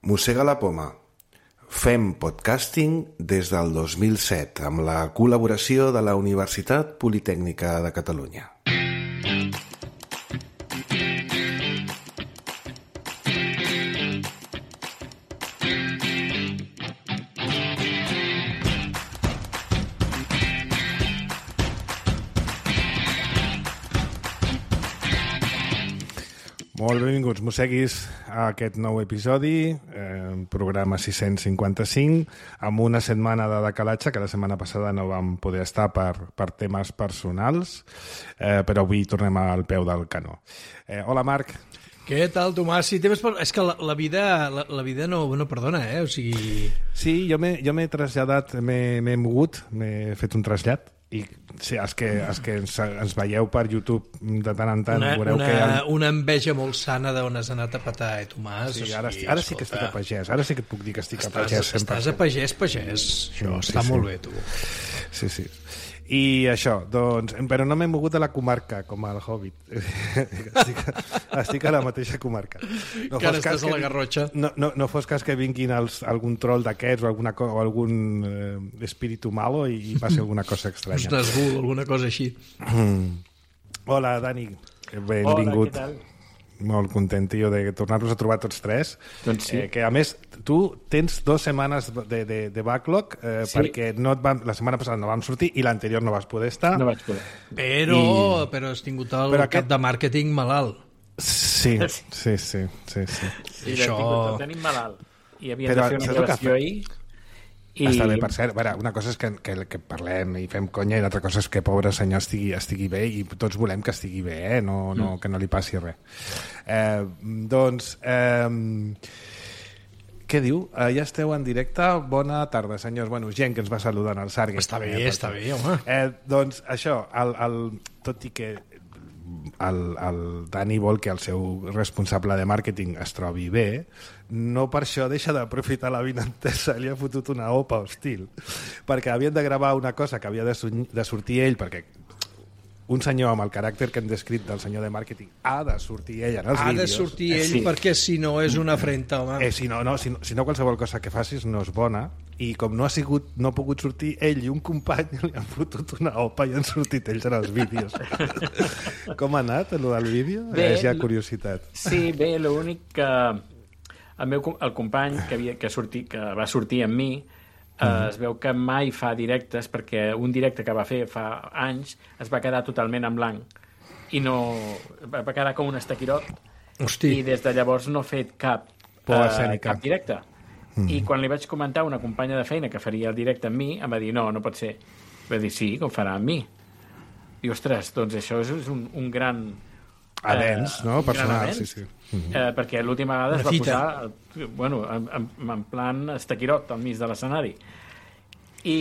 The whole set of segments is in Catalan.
Mossega la poma. Fem podcasting des del 2007 amb la col·laboració de la Universitat Politècnica de Catalunya. Molt benvinguts, mosseguis, a aquest nou episodi, programa 655, amb una setmana de decalatge, que la setmana passada no vam poder estar per temes personals, però avui tornem al peu del canó. Hola, Marc. Què tal, Tomàs? Sí, és que la vida no perdona, O sigui... Sí, jo m'he traslladat, m'he mogut, m'he fet un trasllat. I sí, els que ens veieu per YouTube de tant en tant veureu que... Una enveja molt sana d'on has anat a petar, Tomàs? Sí, ara sí que estic a pagès, ara sí que et puc dir que estic a pagès. Estàs a pagès, això està molt bé, tu. Sí. I això, doncs, però no m'he mogut de la comarca, com el Hobbit. Estic a la mateixa comarca. Encara estàs a la Garrotxa. No fos cas que vinguin algun troll d'aquests o algun espíritu malo i passi alguna cosa estranya. Un Nazgûl, alguna cosa així. Hola, Dani. Benvingut. Hola, què tal? Molt content, tio, de tornar-nos a trobar tots tres. Doncs sí. Que, a més, tu tens 2 setmanes de backlog sí. Perquè la setmana passada no vam sortir i l'anterior no vas poder estar. No vaig poder. Però has tingut el cap de màrqueting malalt. Sí. Sí, això... el tenim malalt. I havíem de fer una gravació ahir. Està bé, per cert. Una cosa és que parlem i fem conya i l'altra cosa és que pobre senyor estigui bé i tots volem que estigui bé, que no li passi res. Què diu? Ja esteu en directe. Bona tarda, senyors. Gent que ens va saludant al Sargue. Està bé, home. Doncs això, tot i que el Dani vol que el seu responsable de màrqueting es trobi bé, no per això deixa d'aprofitar la vinentesa, li ha fotut una opa hostil, perquè havien de gravar una cosa que havia de sortir ell, perquè un senyor amb el caràcter que hem descrit del senyor de màrqueting ha de sortir ell en els vídeos. Ha de sortir ell perquè si no és una afrenta, home. Si no qualsevol cosa que facis no és bona, i com no ha pogut sortir ell i un company li han fotut una opa i han sortit ells en els vídeos. Com ha anat, allò del vídeo? És ja curiositat. Sí, bé, l'únic que el company que va sortir amb mi es veu que mai fa directes, perquè un directe que va fer fa anys es va quedar totalment en blanc i no va quedar com un estaquirot. Hosti. I des de llavors no ha fet cap directe. I quan li vaig comentar a una companya de feina que faria el directe amb mi, em va dir, no pot ser. Va dir, sí, que ho farà amb mi. I, ostres, doncs això és un gran... avenç, no? Personal, sí. Perquè l'última vegada es va posar en plan estaquirot al mig de l'escenari. I,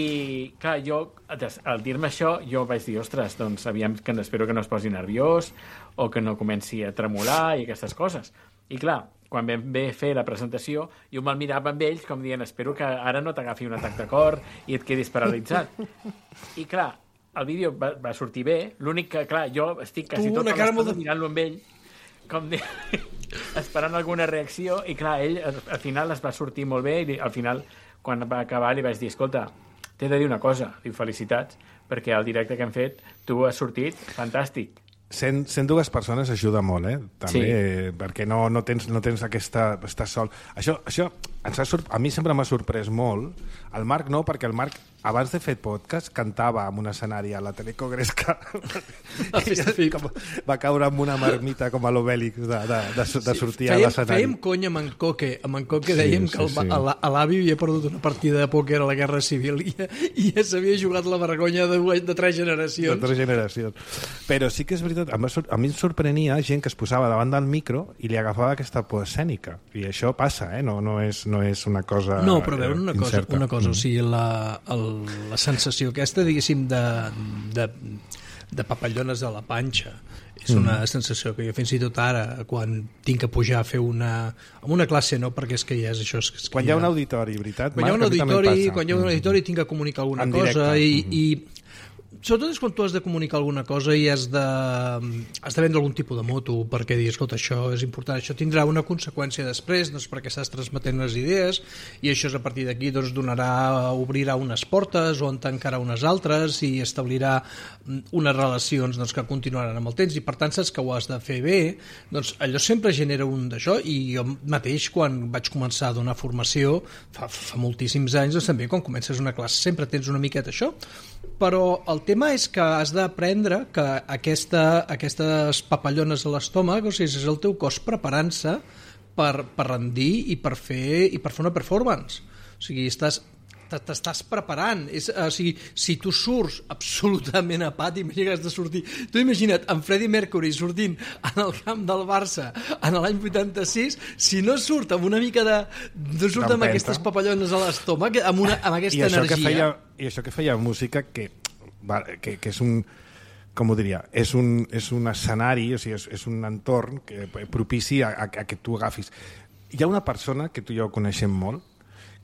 clar, jo, al dir-me això, jo vaig dir, ostres, doncs espero que no es posi nerviós o que no comenci a tremolar i aquestes coses. I, clar, quan vam fer la presentació, jo me'l mirava amb ells com dient, espero que ara no t'agafi un atac de cor i et quedis paralitzat. I, clar, el vídeo va sortir bé, l'únic que, clar, jo estic quasi tota l'estona mirant-lo amb ell, com esperant alguna reacció, i clar, ell al final es va sortir molt bé, i al final, quan va acabar, li vaig dir, escolta, t'he de dir una cosa, diu, felicitats, perquè el directe que hem fet, tu has sortit fantàstic. 102 persones ajuda molt, també, perquè no tens aquesta... Estàs sol. Això a mi sempre m'ha sorprès molt. El Marc no, perquè el Marc, abans de fer podcast, cantava en un escenari a la Telecogresca. Va caure amb una marmita com a l'Obèlix de sortir a l'escenari. Fèiem conya amb en Coque. Amb en Coque dèiem que l'avi havia perdut una partida de pòquer a la Guerra Civil i ja s'havia jugat la vergonya de 3 generacions. De 3 generacions. Però sí que és veritat, a mi em sorprenia gent que es posava davant del micro i li agafava aquesta por escènica. I això passa, no és una cosa no, però veure una cosa, o sigui, la sensació aquesta, diguéssim, de papallones a la panxa, és una sensació que jo fins i tot ara, quan tinc que pujar a fer una classe, no, perquè és que ja és això... Quan hi ha un auditori, veritat? Quan hi ha un auditori tinc que comunicar alguna cosa i sobretot és quan tu has de comunicar alguna cosa i has de vendre algun tipus de moto perquè dir, escolta, això és important, això tindrà una conseqüència després, doncs perquè estàs transmetent unes idees i això és a partir d'aquí doncs obrirà unes portes o en tancarà unes altres i establirà unes relacions doncs, que continuaran amb el temps i per tant saps que ho has de fer bé, doncs allò sempre genera un d'això i jo mateix quan vaig començar a donar formació fa moltíssims anys, doncs també quan comences una classe sempre tens una miqueta això, però el tema és que has d'aprendre que aquestes papallones a l'estómac, o sigui, és el teu cos preparant-se per rendir i per fer una performance. O sigui, t'estàs preparant. O sigui, si tu surts absolutament apàtic, imagina que has de sortir. Tu imagina't en Freddie Mercury sortint en el camp del Barça en l'any 86, si no surt amb una mica no surt amb aquestes papallones a l'estómac, amb aquesta energia. I això que feia música que és un... com ho diria, és un escenari, o sigui, és un entorn que propici a que tu agafis. Hi ha una persona que tu i jo coneixem molt,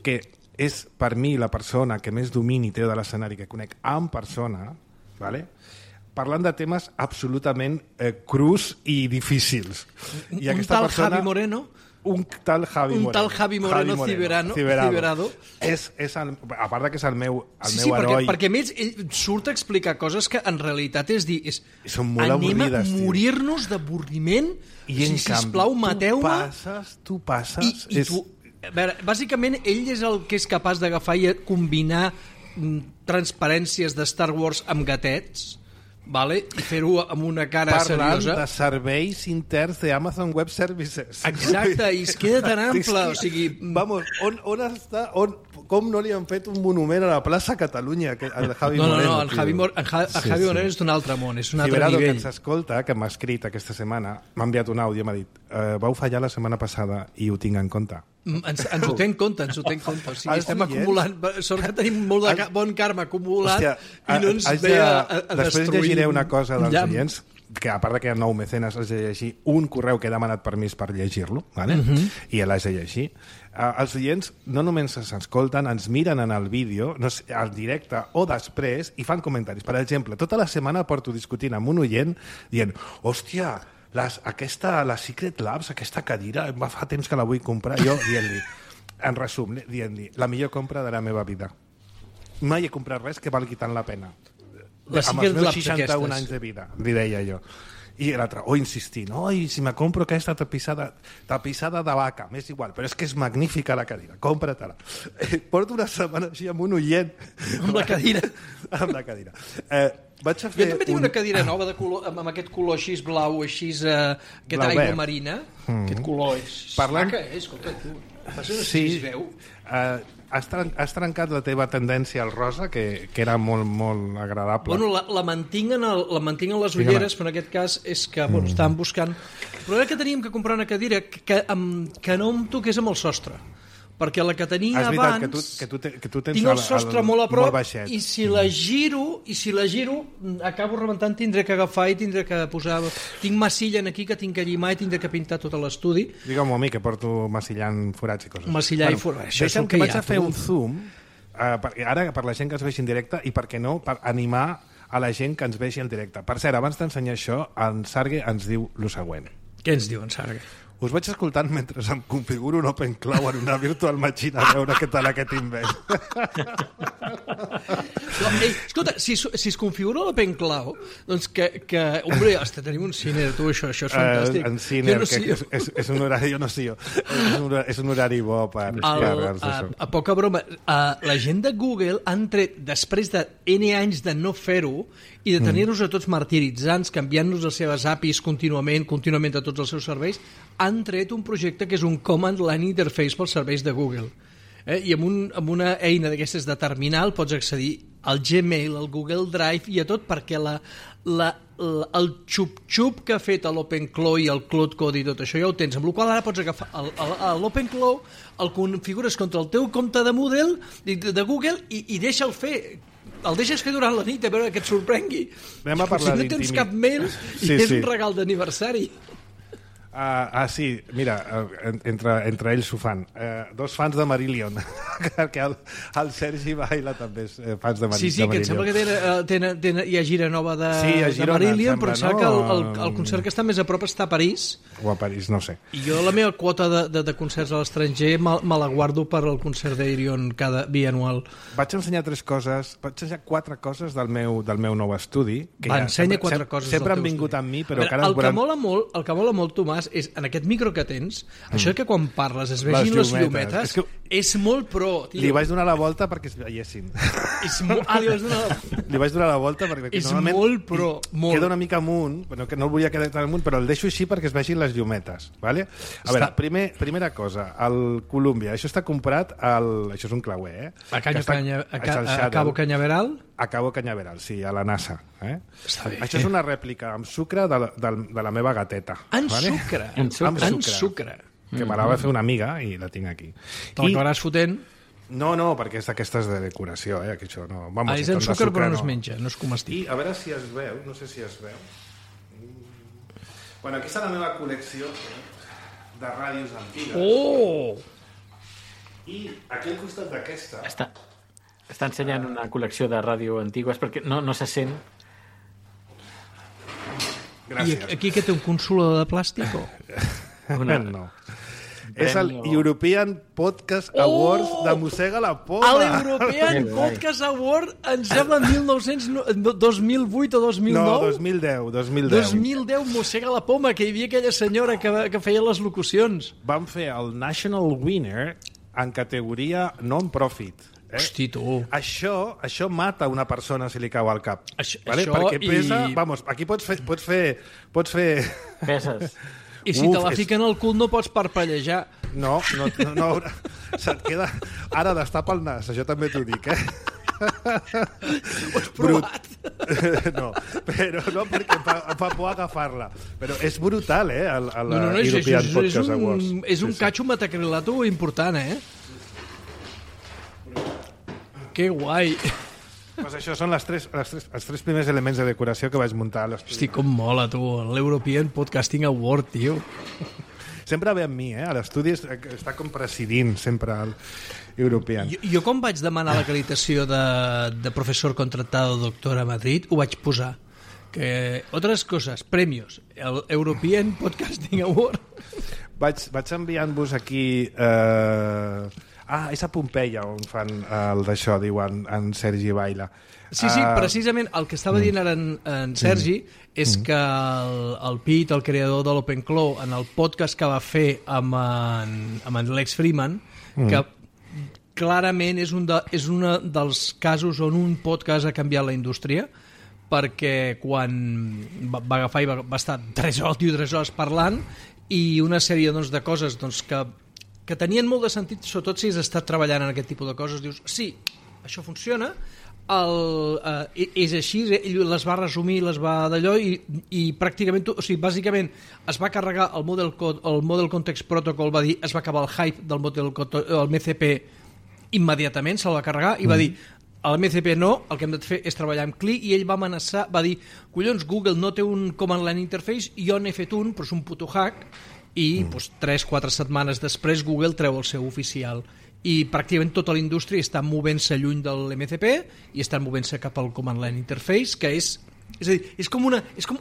que és per mi la persona que més domini té de l'escenari que conec en persona, ¿vale? Parlant de temes absolutament crus i difícils. I un tal persona, Javi Moreno... Un tal Javi Moreno Ciberado. A part que és el meu heroi. Sí, perquè a més ell surt a explicar coses que en realitat és dir... Són molt avorrides, anem a morir-nos d'avorriment. I en canvi, sisplau, mateu-me. Tu passes... I tu... A veure, bàsicament, ell és el que és capaç d'agafar i combinar transparències de Star Wars amb gatets, vale? I fer-ho amb una cara seriosa. Parlant de serveis interns d'Amazon Web Services. Exacte, i es queda tan ample. O sigui... Vamos, on està... Com no li han fet un monument a la plaça Catalunya al Javi Moreno? No, el Javi Moreno és d'un altre món, és un altre Ciberado, nivell. que ens escolta, que m'ha escrit aquesta setmana, m'ha enviat un àudio i m'ha dit vau fallar la setmana passada i ho tinc en compte. Ens ho té en compte. O sigui, estem acumulant... Sort que tenim molt de bon karma acumulat. Hòstia, i no ens ve a destruir. Després llegiré una cosa dels oients, que a part que hi ha 9 mecenes, has de llegir un correu que he demanat permís per llegir-lo, ¿vale? I l'has de llegir. Els oients no només s'escolten, ens miren en el vídeo, no sé, al directe o després, i fan comentaris. Per exemple, tota la setmana porto discutint amb un oient dient, hòstia, la Secret Labs, aquesta cadira, fa temps que la vull comprar. Jo dient-li, en resum, dient-li, la millor compra de la meva vida. Mai he comprat res que valgui tant la pena. Amb els meus 61 anys de vida, li deia jo. I l'altre, insistint, si me compro aquesta tapisada de vaca, m'és igual, però és que és magnífica la cadira, compra-te-la. Porto una setmana així amb un oient. Amb la cadira. Amb la cadira. Vaig a fer jo també tinc una cadira nova de color, amb aquest color així blau, així, aquesta aigua marina. Aquest color és maca, escolta, tu. Sí, has trencat la teva tendència al rosa, que era molt, molt agradable. Bueno, la mantinc en les ulleres, però en aquest cas és que estàvem buscant... Però era que teníem que comprar una cadira que no em toqués amb el sostre, perquè la que tenia abans que tu tens tinc el sostre molt a prop baixet. I si la giro acabo rebentant, tindré que agafar i tindré que posar... Tinc massilla aquí que tinc que llimar i tindré que pintar tot l'estudi. Digue'm a mi que porto massillant forats i coses. Massillar i forats, això és el que vaig a fer un zoom ara per la gent que ens vegi en directe i per què no, per animar a la gent que ens vegi en directe. Per cert, abans d'ensenyar això, en Sargue ens diu el següent. Què ens diu en Sargue? Us vaig escoltant mentre em configuro un OpenCloud en una Virtual Machine a veure què tal aquest invent. Escolta, si es configura l'OpenCloud, doncs que hombre, hasta tenim un Ciner, tu, això és fantàstic. En Ciner, és un horari, jo no sé jo, és un horari bo per carregar-nos això. A poca broma, la gent de Google han tret, després de N anys de no fer-ho, i de tenir-nos a tots martiritzants, canviant-nos les seves APIs contínuament de tots els seus serveis, han tret un projecte que és un Command Line Interface pels serveis de Google. I amb una eina d'aquestes de terminal pots accedir al Gmail, al Google Drive i a tot, perquè el xup-xup que ha fet l'OpenCloud i el Cloud Code i tot això ja ho tens, amb la qual ara pots agafar l'OpenCloud, el configures contra el teu compte de Moodle de Google i deixa'l fer. El deixes fer durant la nit a veure que et sorprengui. Anem a parlar si no tens cap mail i és un regal d'aniversari. Sí, mira, entre ells ho fan. 2 fans de Marillion. perquè el Sergi Baila també és fans de Marillion. Sí, que em sembla que hi ha gira nova de Marillion, però em sembla que el concert que està més a prop està a París. O a París, no sé. I jo la meva quota de concerts a l'estranger me la guardo per al concert d'Aerion cada bianual. Vaig ensenyar 4 coses del meu nou estudi. Ensenya 4 coses sempre han vingut amb mi, però cada el que mola molt, Tomàs, és en aquest micro que tens, això que quan parles es vegin les llumetes, és molt pro, tio. Li vaig donar la volta perquè es veiessin. Li vaig donar la volta perquè és molt pro. Queda una mica amunt, que no el volia quedar tan amunt, però el deixo així perquè es vegin les llumetes. Vale? A veure, primera cosa, el Columbia, això està comprat això és un clauer, a Cabo Cañaveral? A Cabo Cañaveral, sí, a la NASA. Està bé. Això és una rèplica amb sucre de la meva gateta. En sucre. Que me la va fer una amiga i la tinc aquí. Te l'acabaràs fotent? No, perquè és d'aquestes de decoració, que això no... És en sucre però no es menja, no es comestible. I a veure si es veu, no sé si es veu. Bueno, aquí està la meva col·lecció de ràdios antigues. Oh! I aquí al costat d'aquesta... Està ensenyant una col·lecció de ràdio antigues perquè no se sent. Gràcies. I aquí que té un consolador de plàstic o...? No. És el European Podcast Awards de Mossega la Poma. L'European Podcast Award em sembla en 2008 o 2009? No, 2010. 2010, Mossega la Poma, que hi havia aquella senyora que feia les locucions. Vam fer el National Winner en categoria non-profit. Hosti, tu. Això mata una persona si li cau al cap. Això perquè pesa... Vamos, aquí pots fer... Peses. I si te la fiquen al cul no pots parpellejar. No. Se't queda... Ara destapa el nas, això també t'ho dic, Ho has provat? No, però no, perquè em fa por agafar-la. Però és brutal, el European Podcast Awards. És un catxo metacrilato important, Que guai. Pues això són els tres primers elements de decoració que vaig muntar a l'estudi. Hosti, com mola, tu, l'European Podcasting Award, tio. Sempre ve amb mi, a l'estudi està com presidint sempre el European. Jo quan vaig demanar l'acreditació de professor contratado doctor a Madrid, ho vaig posar. Que, otras cosas, premios, el European Podcasting Award. Vaig enviant-vos aquí... és a Pompeia on fan el d'això, diuen en Sergi Baila. Sí, precisament el que estava dient ara en Sergi és que el Pete, el creador de l'OpenClaw, en el podcast que va fer amb en Lex Freeman, que clarament és un dels casos on un podcast ha canviat la indústria, perquè quan va agafar i va estar 3 hores parlant i una sèrie de coses que tenien molt de sentit, sobretot si has estat treballant en aquest tipus de coses, dius, sí, això funciona, és així, ell les va resumir, les va d'allò i pràcticament, bàsicament es va carregar el Model Context Protocol, va dir, es va acabar el hype del el MCP immediatament, se'l va carregar i va dir, a l'MCP no, el que hem de fer és treballar amb CLI, i ell va amenaçar, va dir, collons, Google no té un command line interface, jo n'he fet un, però és un puto hack, i 3-4 setmanes després Google treu el seu oficial i pràcticament tota la indústria està movent-se lluny de l'MCP i està movent-se cap al Command Line Interface, que és a dir, és com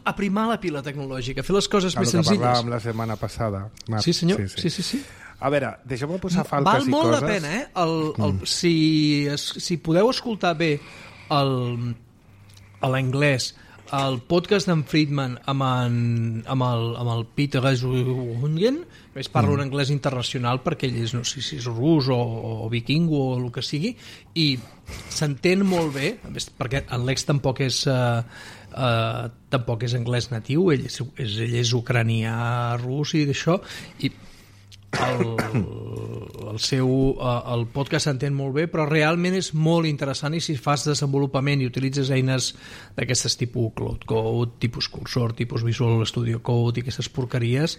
aprimar la pila tecnològica, fer les coses més senzilles. El que parlàvem la setmana passada. Sí, senyor. Sí. A veure, deixeu-me posar falques i coses. Val molt la pena, si podeu escoltar bé a l'anglès el podcast d'en Friedman amb el Peter Reisungen, que es parla un anglès internacional perquè ell és, no sé si és rus o viking o el que sigui, i s'entén molt bé, perquè en Lex tampoc és anglès natiu, ell és ucranià, rus i d'això, i el podcast s'entén molt bé, però realment és molt interessant, i si fas desenvolupament i utilitzes eines d'aquestes tipus Cloud Code, tipus Cursor, tipus Visual Studio Code i aquestes porqueries,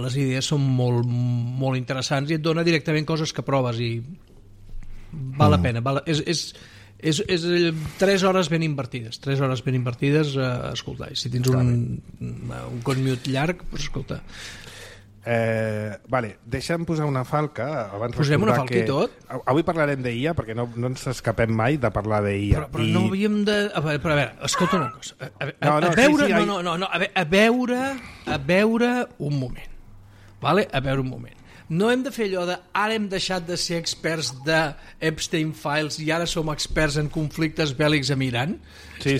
les idees són molt, molt interessants i et dona directament coses que proves i val la pena. És 3 hores ben invertides. Escolta, si tens un commute llarg, doncs escolta. Vale, deixa'm posar una falca. Posem una falca i tot? Avui parlarem d'IA, perquè no ens escapem mai de parlar d'IA. Però no havíem de... A veure, escolta una cosa. A veure un moment. Vale? A veure un moment. No hem de fer allò de ara hem deixat de ser experts de Epstein Files i ara som experts en conflictes bèl·lics amb Iran? Sí.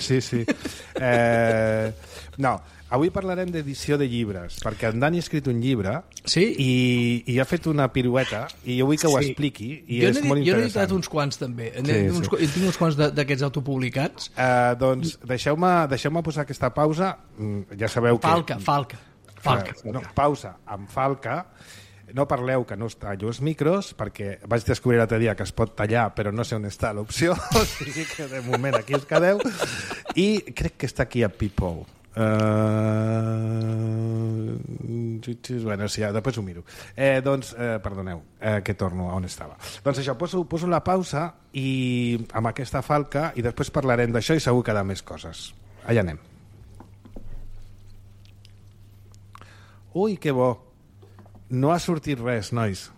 No, avui parlarem d'edició de llibres, perquè en Dani ha escrit un llibre i ha fet una pirueta i jo vull que ho expliqui i és molt interessant. Jo n'he editat uns quants també, tinc uns quants d'aquests autopublicats. Doncs deixeu-me posar aquesta pausa. Ja sabeu que... Falca. No, pausa amb falca. No parleu, que no us tallo els micros, perquè vaig descobrir l'altre dia que es pot tallar, però no sé on està l'opció, o sigui que de moment aquí us quedeu. I crec que està aquí a People. Bueno, sí, després ho miro. Perdoneu, que torno a on estava. Doncs això, poso la pausa i amb aquesta falca i després parlarem d'això i segur que de més coses. Allà anem. Ui, que bo. No ha sortit res, nois.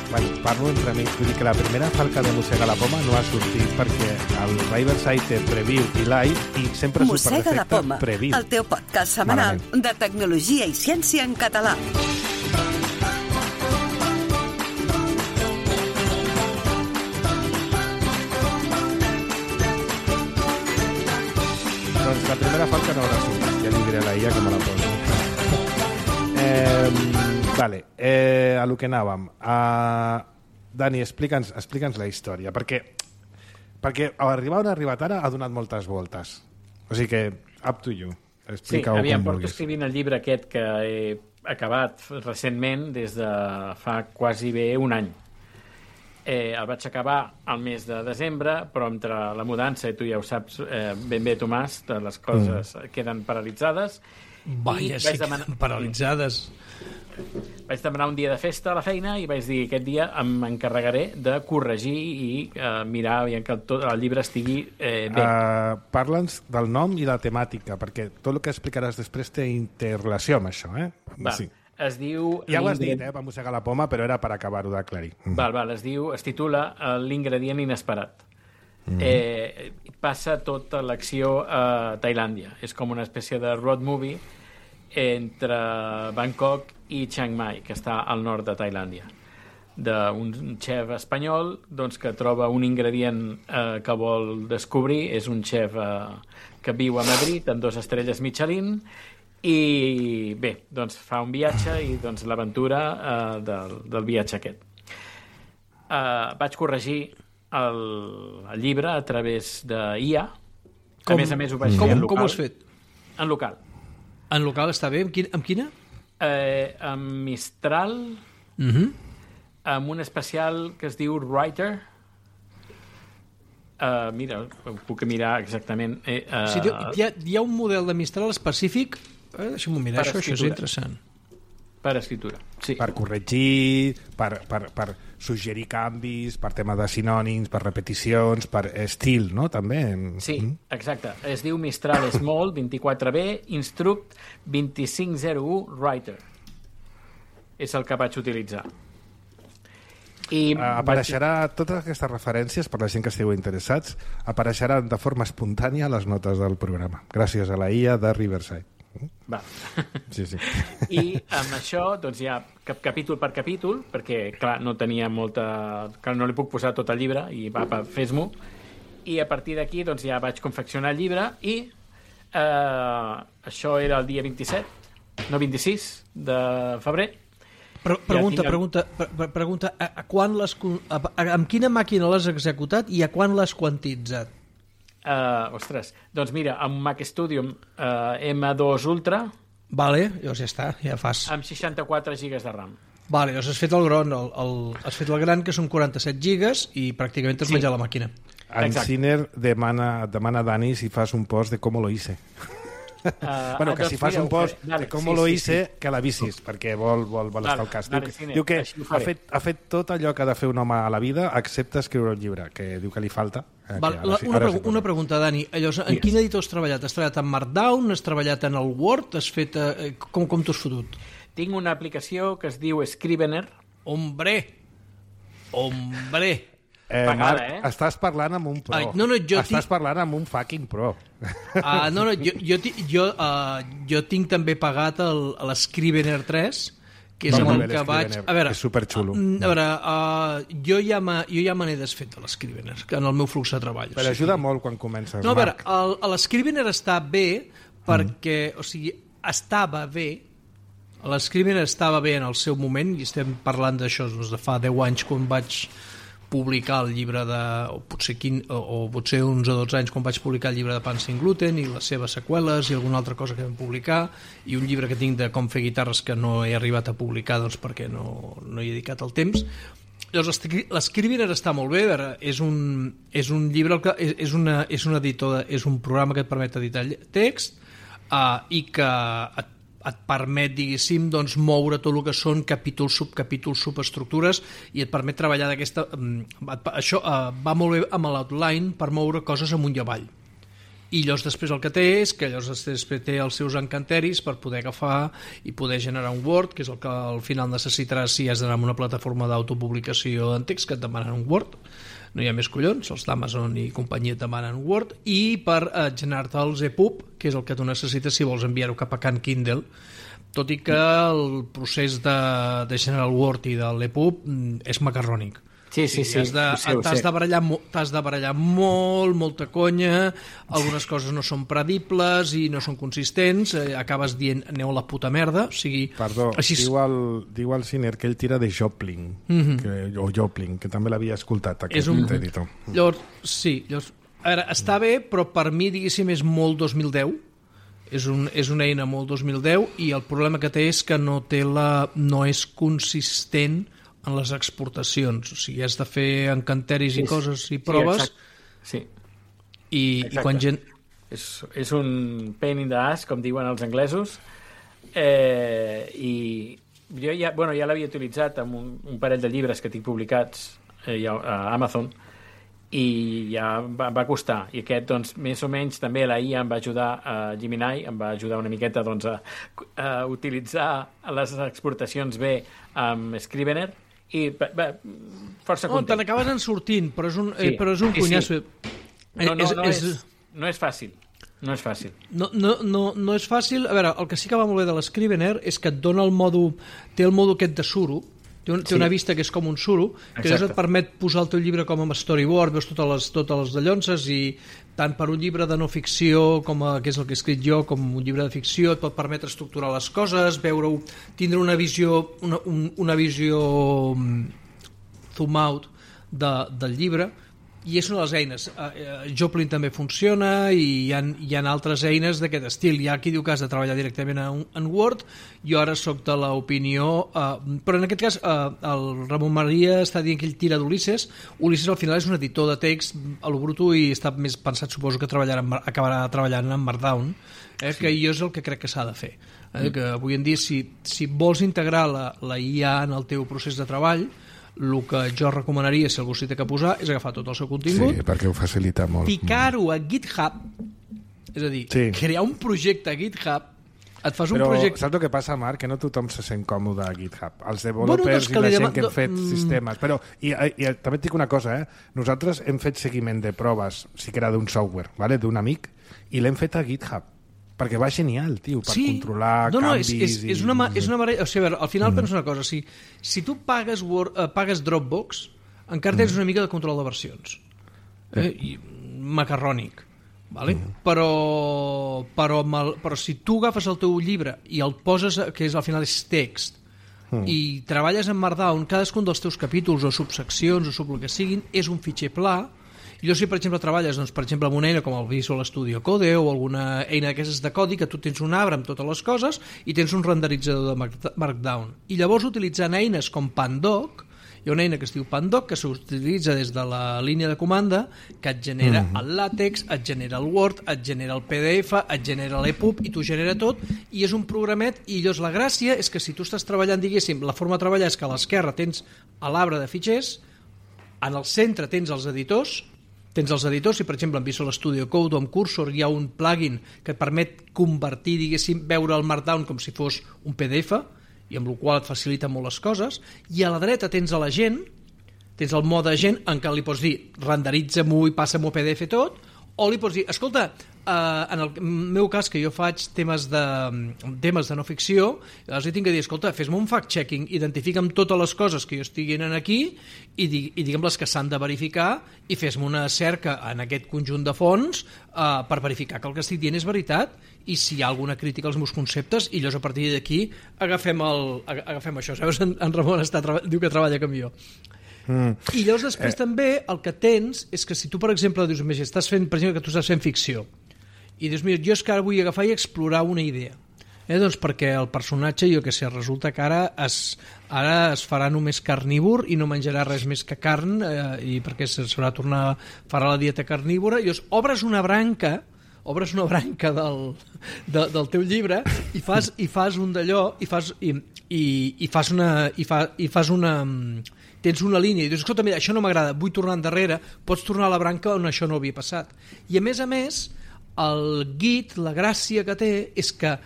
Bueno, parlo entre amics, vull dir que la primera falca de Mossega la Poma no ha sortit perquè el Riverside té preview i live i sempre Mossega la Poma, preview. El teu podcast setmanal de tecnologia i ciència en català. Doncs la primera falca no haurà sortit, ja li diré a la IA que me la poso. Vale, a lo que anàvem. Dani, explica'ns la història, perquè arribar on ha arribat ara ha donat moltes voltes. O sigui que, up to you. Explica-ho com vulguis. Porto escrivint el llibre aquest que he acabat recentment des de fa quasi bé un any. El vaig acabar al mes de desembre, però entre la mudança, i tu ja ho saps ben bé, Tomàs, les coses queden paralitzades. Vaja, sí, queden paralitzades. Vaig demanar un dia de festa a la feina i vaig dir que aquest dia m'encarregaré de corregir i mirar que el llibre estigui bé. Parla'ns del nom i la temàtica, perquè tot el que explicaràs després té interrelació amb això, Va. Sí. Es diu... Ja ho has dit, va mossegar la poma, però era per acabar-ho d'aclarir. Es titula L'ingredient inesperat. Passa tota l'acció a Tailàndia. És com una espècie de road movie entre Bangkok i Chiang Mai, que està al nord de Tailàndia. D'un xef espanyol que troba un ingredient que vol descobrir. És un xef que viu a Madrid amb 2 estrelles Michelin. I bé, fa un viatge i l'aventura del viatge aquest. Vaig corregir el llibre a través d'IA. A més ho vaig fer en local. Com ho has fet? En local. En local està bé? Amb quina? Amb Mistral, amb un especial que es diu Writer. Mira, ho puc mirar exactament. Hi ha un model de Mistral específic. Deixa'm-ho mirar, això és interessant. Per escriptura, sí. Per corregir, per suggerir canvis, per tema de sinònims, per repeticions, per estil, no? També. Sí, exacte. Es diu Mistral Small 24B Instruct 2501 Writer. És el que vaig utilitzar. Apareixerà totes aquestes referències, per la gent que estigueu interessats, apareixeran de forma espontània a les notes del programa, gràcies a la IA de Riverside. Va. Sí. I amb això ja capítol per capítol, perquè clar, no tenia molta... Clar, no li puc posar tot el llibre i fes-m'ho. I a partir d'aquí ja vaig confeccionar el llibre i això era el dia 26 de febrer. Pregunta, amb quina màquina l'has executat i a quan l'has quantitzat? Doncs mira, amb Mac Studio M2 Ultra. Vale, llavors ja està, ja fas. Amb 64 GB de RAM. Vale, llavors has fet el gron, has fet el gran, que són 47 GB i pràcticament t'has menjat la màquina. En Sinner demana a Dani si fas un post de com lo hice. Bueno, que si fas un post de com lo hice, que l'avisis, perquè vol estar al cas. Diu que ha fet tot allò que ha de fer un home a la vida, excepte escriure un llibre, que diu que li falta. Una pregunta, Dani. En quin editor has treballat? Has treballat en Markdown? Has treballat en el Word? Has fet... Com t'ho has fotut? Tinc una aplicació que es diu Scrivener. Hombre! Marc, estàs parlant amb un pro. Estàs parlant amb un fucking pro. Jo tinc també pagat l'Scrivener 3, que és el que vaig... És superxulo. A veure, jo ja me n'he desfet de l'Scrivener, en el meu flux de treball. Però ajuda molt quan comences, Marc. No, a veure, l'Scrivener està bé perquè, o sigui, estava bé, l'Scrivener estava bé en el seu moment, i estem parlant d'això de fa 10 anys quan vaig publicar el llibre o potser 11 o 12 anys quan vaig publicar el llibre de Pan Sin Gluten i les seves seqüeles i alguna altra cosa que vam publicar, i un llibre que tinc de com fer guitarres que no he arribat a publicar perquè no hi he dedicat el temps. Llavors, l'Scrivener està molt bé, és un llibre, és un editor, és un programa que et permet editar text i que et permet, diguéssim, doncs, moure tot el que són capítols, subcapítols, subestructures, i et permet treballar d'aquesta... Això va molt bé amb l'outline per moure coses amunt i avall. I llavors després el que té és que llavors després té els seus encanteris per poder agafar i poder generar un Word, que és el que al final necessitaràs si has d'anar a una plataforma d'autopublicació en text que et demanen un Word. No hi ha més collons, els d'Amazon i companyia et demanen Word, i per generar-te els EPUB, que és el que tu necessites si vols enviar-ho cap a Can Kindle, tot i que el procés de generar el Word i de l'EPUB és macarrònic. Sí. T'has de barallar molt, molta conya, algunes coses no són predibles i no són consistents, acabes dient aneu a la puta merda, o sigui... Perdó, així... diu el Ciner que ell tira de Joplin, o Joplin, que també l'havia escoltat, aquest editor. Llavors, a veure, està bé, però per mi, diguéssim, és molt 2010, és una eina molt 2010, i el problema que té és que no és consistent en les exportacions, o sigui, has de fer encanteris i coses i proves, i quan gent... És un pain in the ass, com diuen els anglesos, i jo ja l'havia utilitzat amb un parell de llibres que tinc publicats a Amazon, i ja va costar, i aquest, doncs, més o menys també la IA em va ajudar, Gemini em va ajudar una miqueta, doncs, a utilitzar les exportacions bé amb Scrivener, i força content. Te n'acabes en sortint, però és un cunyasso. No és fàcil. No és fàcil. No és fàcil. A veure, el que sí que va molt bé de l'Scrivener és que et dona té el mòdul aquest de suro, té una vista que és com un suro, que llavors et permet posar el teu llibre com a storyboard, veus totes les dallonses, i tant per un llibre de no ficció, que és el que he escrit jo, com un llibre de ficció, et pot permetre estructurar les coses, veure-ho, tindre una visió zoom out del llibre, i és una de les eines. Joplin també funciona, i hi ha altres eines d'aquest estil. Hi ha qui diu que has de treballar directament en Word. Jo ara sóc de l'opinió, però en aquest cas el Ramon Maria està dient que ell tira d'Ulisses. Ulisses al final és un editor de text a lo bruto i està més pensat, suposo, que acabarà treballant en Markdown, que jo és el que crec que s'ha de fer. Que avui en dia, si vols integrar la IA en el teu procés de treball, el que jo recomanaria, si algú s'hi té que posar, és agafar tot el seu contingut, perquè ho facilita molt, ficar-ho a GitHub, és a dir, crear un projecte a GitHub, et fas un projecte... Saps el que passa, Marc? Que no tothom se sent còmode a GitHub. Els developers i la gent que hem fet sistemes. Però, i també et dic una cosa, nosaltres hem fet seguiment de proves, sí que era d'un software, d'un amic, i l'hem fet a GitHub. Perquè va genial, tio, per controlar canvis... És una marella... O sigui, al final penso una cosa, si tu pagues Dropbox, encara tens una mica de control de versions. Macarrònic. Vale? Però si tu agafes el teu llibre i el poses, que al final és text, i treballes en Markdown, cadascun dels teus capítols o subseccions o el que siguin és un fitxer pla. I si, per exemple, treballes per exemple, amb una eina com el Visual Studio Code o alguna eina d'aquestes de codi, que tu tens un arbre amb totes les coses i tens un renderitzador de Markdown. I llavors, utilitzant eines com Pandoc Hi ha una eina que es diu Pandoc, que s'utilitza des de la línia de comanda, que et genera el LaTeX, et genera el Word, et genera el PDF, et genera l'EPUB, i t'ho genera tot, i és un programet, i llavors la gràcia és que si tu estàs treballant, diguéssim, la forma de treballar és que a l'esquerra tens a l'arbre de fitxers, en el centre tens els editors, si per exemple en Visual Studio Code o amb Cursor hi ha un plugin que et permet convertir, diguéssim, veure el Markdown com si fos un PDF, i amb el qual et facilita molt les coses, i a la dreta tens a l'agent, tens el mode agent en què li pots dir renderitza-m'ho i passa-m'ho a PDF tot, o li pots dir, escolta, en el meu cas, que jo faig temes de no ficció, els tinc que dir, escolta, fes-me un fact-checking, identifica'm totes les coses que jo estigui aquí i digue'm les que s'han de verificar i fes-me una cerca en aquest conjunt de fonts per verificar que el que estic dient és veritat i si hi ha alguna crítica als meus conceptes, i llavors a partir d'aquí agafem això. Saps? En Ramon diu que treballa com jo. I llavors després també el que tens és que si tu per exemple dius, estàs fent, per exemple, que tu estàs fent ficció i dius, mira, jo és que ara vull agafar i explorar una idea, doncs perquè el personatge, jo que sé, resulta que ara es farà només carnívor i no menjarà res més que carn, i perquè s'haurà de tornar a fer la dieta carnívora, i llavors obres una branca del teu llibre i fas un d'allò i fas una tens una línia i dius, escolta, mira, això no m'agrada, vull tornar endarrere, pots tornar a la branca on això no havia passat. I a més, el Git, la gràcia que té és que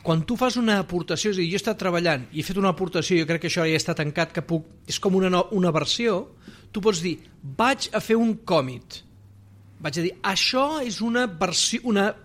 quan tu fas una aportació, és a dir, jo he estat treballant i he fet una aportació, jo crec que això ja està tancat, que és com una versió, tu pots dir, vaig a fer un commit, vaig a dir, això és una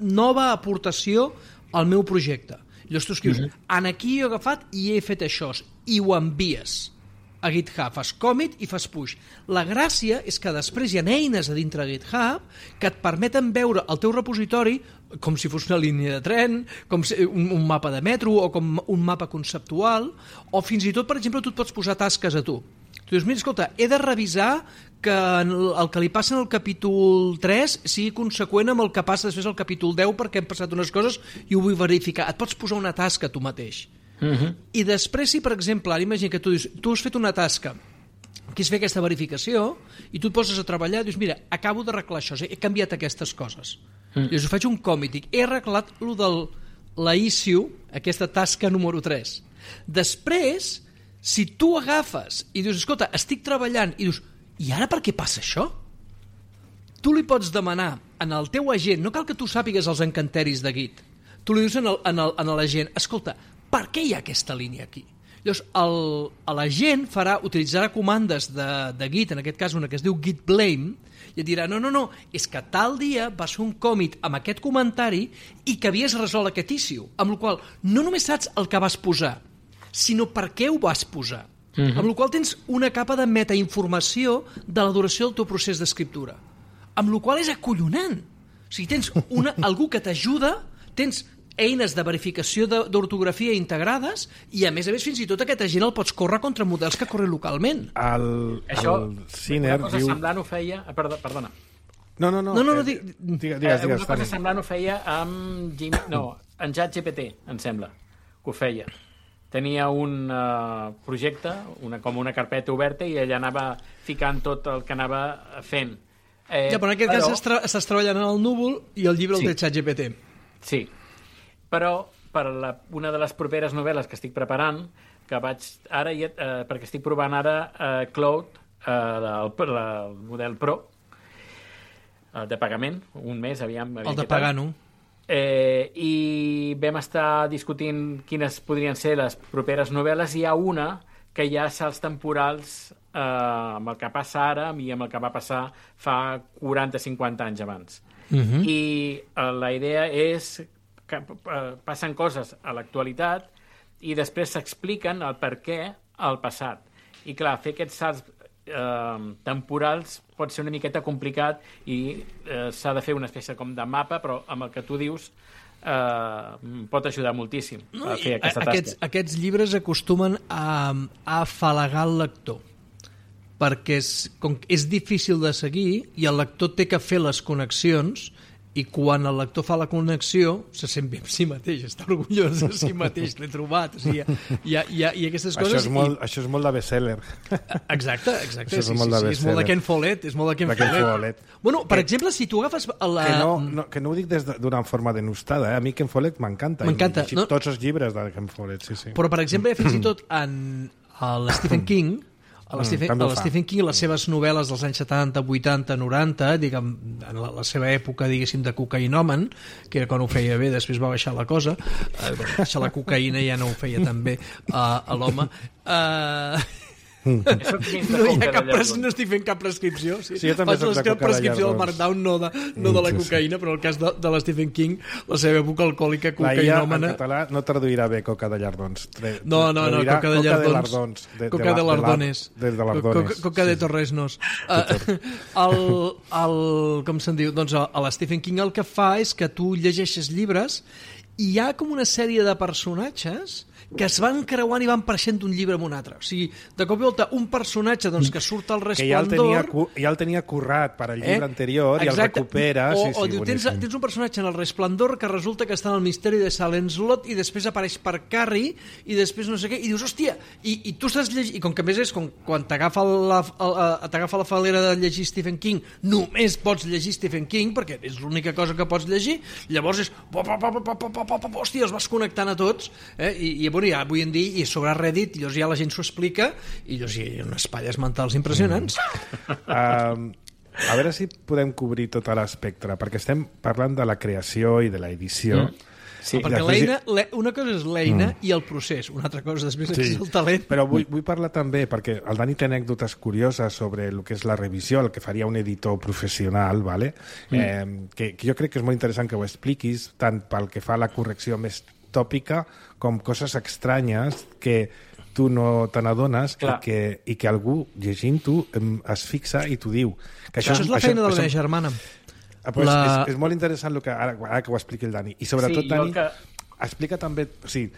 nova aportació al meu projecte. Llavors tu escrius, aquí jo he agafat i he fet això, i ho envies a GitHub, fas commit i fas push. La gràcia és que després hi ha eines a dintre de GitHub que et permeten veure el teu repositori com si fos una línia de tren, com un mapa de metro o com un mapa conceptual, o fins i tot, per exemple, tu et pots posar tasques a tu. Tu dius, mira, escolta, he de revisar que el que li passa en el capítol 3 sigui conseqüent amb el que passa després al capítol 10 perquè han passat unes coses i ho vull verificar. Et pots posar una tasca tu mateix. I després, si per exemple, ara imagina que tu dius, tu has fet una tasca que és fer aquesta verificació i tu et poses a treballar i dius, mira, acabo d'arreglar això, he canviat aquestes coses. Llavors faig un commit, dic, he arreglat lo de la issue, aquesta tasca número 3. Després, si tu agafes i dius, escolta, estic treballant, i dius, i ara per què passa això? Tu li pots demanar en el teu agent, no cal que tu sàpigues els encanteris de Git, tu li dius a l'agent, escolta, per què hi ha aquesta línia aquí? Llavors, l'agent utilitzarà comandes de Git, en aquest cas una que es diu git blame, i et dirà, no, és que tal dia vas fer un commit amb aquest comentari i que havies resolt aquest issue, amb la qual no només saps el que vas posar, sinó per què ho vas posar. Amb la qual tens una capa de metainformació de la duració del teu procés d'escriptura. Amb la qual és acollonant. O sigui, tens algú que t'ajuda, tens eines de verificació d'ortografia integrades i, a més, fins i tot aquest agent el pots córrer contra models que corren localment. Això, una cosa semblant ho feia... Perdona. No, digues. Una cosa semblant ho feia amb en ChatGPT, em sembla, que ho feia. Tenia un projecte, com una carpeta oberta, i ella anava ficant tot el que anava fent. Però en aquest cas estàs treballant en el núvol i el llibre el té ChatGPT. Sí. Però per una de les properes novel·les que estic preparant, que vaig ara, perquè estic provant ara Cloud, el model Pro, de pagament, un mes, aviam... El de pagar-no. I vam estar discutint quines podrien ser les properes novel·les, i hi ha una que hi ha salts temporals amb el que passa ara i amb el que va passar fa 40-50 anys abans. I la idea és que passen coses a l'actualitat i després s'expliquen el per què al passat. I clar, fer aquests salts temporals pot ser una miqueta complicat i s'ha de fer una espècie com de mapa, però amb el que tu dius pot ajudar moltíssim a fer aquesta tasca. Aquests llibres acostumen a afalagar el lector, perquè és difícil de seguir i el lector té que fer les connexions i quan el lector fa la connexió se sent bé amb si mateix, està orgullós de si mateix, l'he trobat, o sigui, hi ha aquestes coses. Això és molt de bestseller. Exacte, sí, és molt de Ken Follett, Bueno, per exemple, si tu agafes que no ho dic d'una forma denostada, a mi Ken Follett m'encanta. M'encanta. He llegit tots els llibres de Ken Follett, sí. Però, per exemple, fins i tot en Stephen King, Stephen King, les seves novel·les dels anys 70, 80, 90, diguem, en la seva època, diguéssim, de cocaïnòmen, que era quan ho feia bé, després va baixar la cosa, baixar la cocaïna ja no ho feia tan bé a l'home. No estic fent cap prescripció. Sí, jo també soc de coca de prescripció del Markdown, no de la cocaïna, però en el cas de la Stephen King, la seva època alcohòlica cocaïnòmana... La IA en català no traduirà bé coca de llardons. No, coca de lardons. Coca de lardones. Coca de torresnos. Com se'n diu? Doncs a la Stephen King el que fa és que tu llegeixes llibres i hi ha com una sèrie de personatges que es van creuant i van apareixent d'un llibre en un altre. O sigui, de cop i volta, un personatge doncs, que surt al Resplendor... Que ja el tenia currat per al llibre anterior. Exacte. I el recupera. O diu, tens un personatge en el Resplendor que resulta que està en el misteri de Salem Slot i després apareix per Carrie i després no sé què, i dius, hòstia, i tu estàs llegint... I com que més és quan t'agafa la falera de llegir Stephen King, només pots llegir Stephen King, perquè és l'única cosa que pots llegir, llavors és... Hòstia, els vas connectant a tots, i ja avui en dia, i sobre Reddit, i ja la gent s'ho explica, i hi ha unes palles mentals impressionants. A veure si podem cobrir tot l'espectre, perquè estem parlant de la creació i de l'edició. Sí, perquè una cosa és l'eina i el procés, una altra cosa després és el talent. Però vull parlar també, perquè el Dani té anècdotes curioses sobre el que és la revisió, el que faria un editor professional, ¿vale? Que jo crec que és molt interessant que ho expliquis, tant pel que fa a la correcció més tòpica com coses estranyes que tu no te n'adones i que algú llegint-ho es fixa i t'ho diu. Que això és la feina de la meva germana. És molt interessant ara que ho expliqui el Dani. I sobretot, Dani, explica també... O sigui,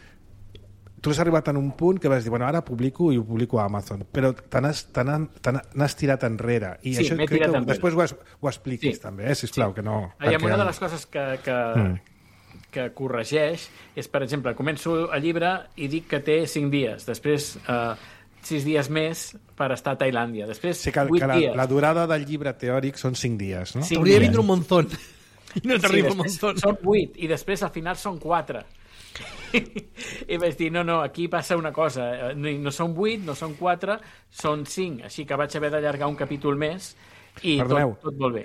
tu has arribat en un punt que vas dir, bueno, ara publico i ho publico a Amazon, però n'has tirat enrere. I això crec que després ho expliquis també, sisplau, que no... Una de les coses que corregeix és, per exemple, començo el llibre i dic que té 5 dies, després 6 dies més per estar a Tailàndia, després 8 dies. La durada del llibre teòric són 5 dies, no? Hauria de vindre un monzón i no t'arriba un monzón. Són 8 i després al final són 4. I vaig dir, no, aquí passa una cosa, no són 8, no són 4, són 5, així que vaig haver d'allargar un capítol més i tot molt bé.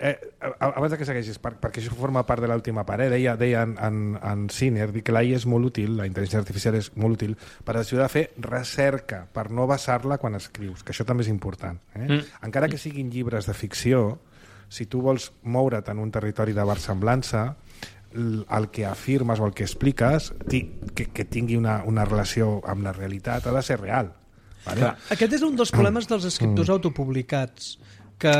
Abans que segueixis, perquè això forma part de l'última part, deia en Sinner que l'AI és molt útil, la intel·ligència artificial és molt útil per ajudar a fer recerca, per no basar-la quan escrius, que això també és important. Encara que siguin llibres de ficció, si tu vols moure't en un territori de versemblança, el que afirmes o el que expliques que tingui una relació amb la realitat ha de ser real. Vale? Aquest és un dels problemes dels escriptors autopublicats, que,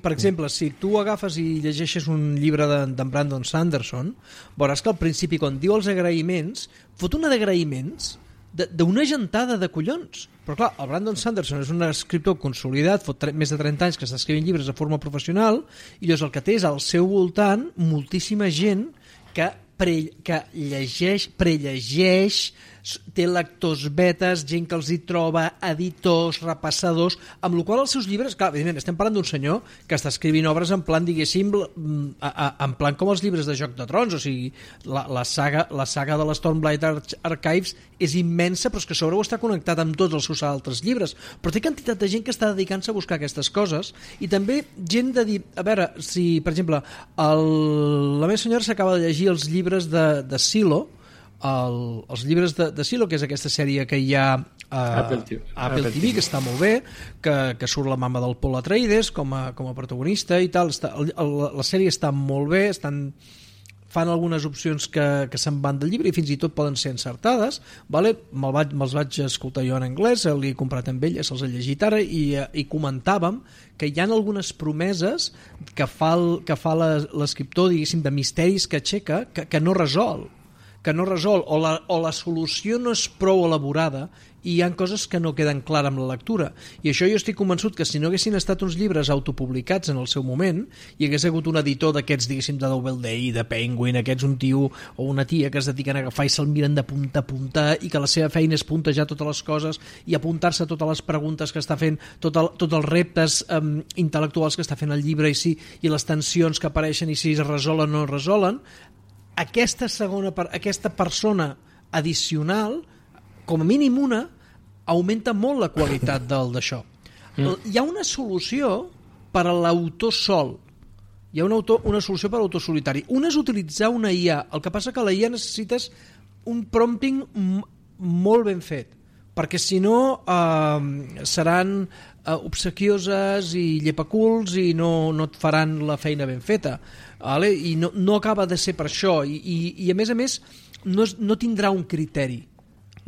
per exemple, si tu agafes i llegeixes un llibre d'en Brandon Sanderson, veuràs que al principi, quan diu els agraïments, fot una d'agraïments d'una gentada de collons. Però clar, el Brandon Sanderson és un escriptor consolidat, fot més de 30 anys que està escrivint llibres de forma professional, i llavors el que té és al seu voltant moltíssima gent que prellegeix, té lectors betes, gent que els hi troba, editors, repassadors, amb la qual els seus llibres... Clar, evidentment, estem parlant d'un senyor que està escrivint obres en plan, diguéssim, en plan com els llibres de Joc de Trons, o sigui, la saga de l'Stormblight Archives és immensa, però és que a sobre ho està connectat amb tots els seus altres llibres. Però té quantitat de gent que està dedicant-se a buscar aquestes coses, i també gent de dir... A veure, si, per exemple, la meva senyora s'acaba de llegir els llibres de Silo, els llibres de Silo, que és aquesta sèrie que hi ha a Apple TV, que està molt bé, que surt la mama del Paul Atreides com a protagonista i tal. La sèrie està molt bé, fan algunes opcions que se'n van del llibre i fins i tot poden ser encertades, vale? Me'ls vaig escoltar jo en anglès, l'he comprat amb ella, se'ls he llegit ara, i comentàvem que hi ha algunes promeses que fa l'escriptor, diguéssim, de misteris que aixeca, que no resol. que no resol, o la solució no és prou elaborada i hi ha coses que no queden clares amb la lectura. I això jo estic convençut que si no haguessin estat uns llibres autopublicats en el seu moment, hi hagués hagut un editor d'aquests, diguéssim, de Doubleday, de Penguin, aquests, un tio o una tia que es dediquen a agafar i se'l miren de punta a punta i que la seva feina és puntejar totes les coses i apuntar-se a totes les preguntes que està fent, tots els reptes intel·lectuals que està fent el llibre i les tensions que apareixen i si es resolen o no es resolen. Aquesta persona addicional, com a mínim una, augmenta molt la qualitat d'això. Hi ha una solució per a l'autor sol. Hi ha una solució per a l'autor solitari. Una és utilitzar una IA. El que passa que la IA necessites un prompting molt ben fet, perquè si no seran obsequioses i llepaculs i no et faran la feina ben feta. Vale? I no acaba de ser per això. I a més no tindrà un criteri.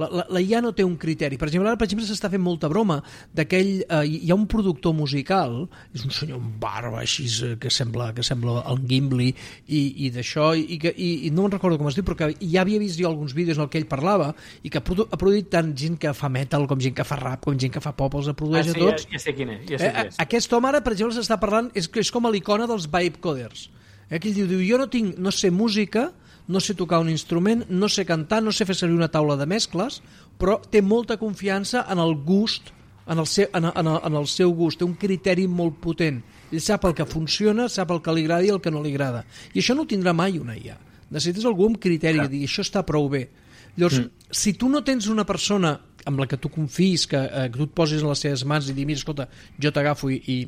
La IA no té un criteri. Per exemple, s'està fent molta broma d'aquell... hi ha un productor musical, és un senyor amb barba així que sembla el Gimli i d'això, i no me'n recordo com es diu, però que ja havia vist jo alguns vídeos en què ell parlava i que ha produït tant gent que fa metal com gent que fa rap, com gent que fa pop, els produeix a tots. Ja sé quin és. Aquest home ara, per exemple, s'està parlant, és com a l'icona dels vibe coders. Que ell diu, jo no sé música, no sé tocar un instrument, no sé cantar, no sé fer servir una taula de mescles, però té molta confiança en el gust, en el seu gust, té un criteri molt potent. Ell sap el que funciona, sap el que li agrada i el que no li agrada. I això no ho tindrà mai una IA. Necessites algú amb criteri, que digui, això està prou bé. Llavors, si tu no tens una persona amb la que tu confis, que tu et posis en les seves mans i dir, mira, escolta, jo t'agafo i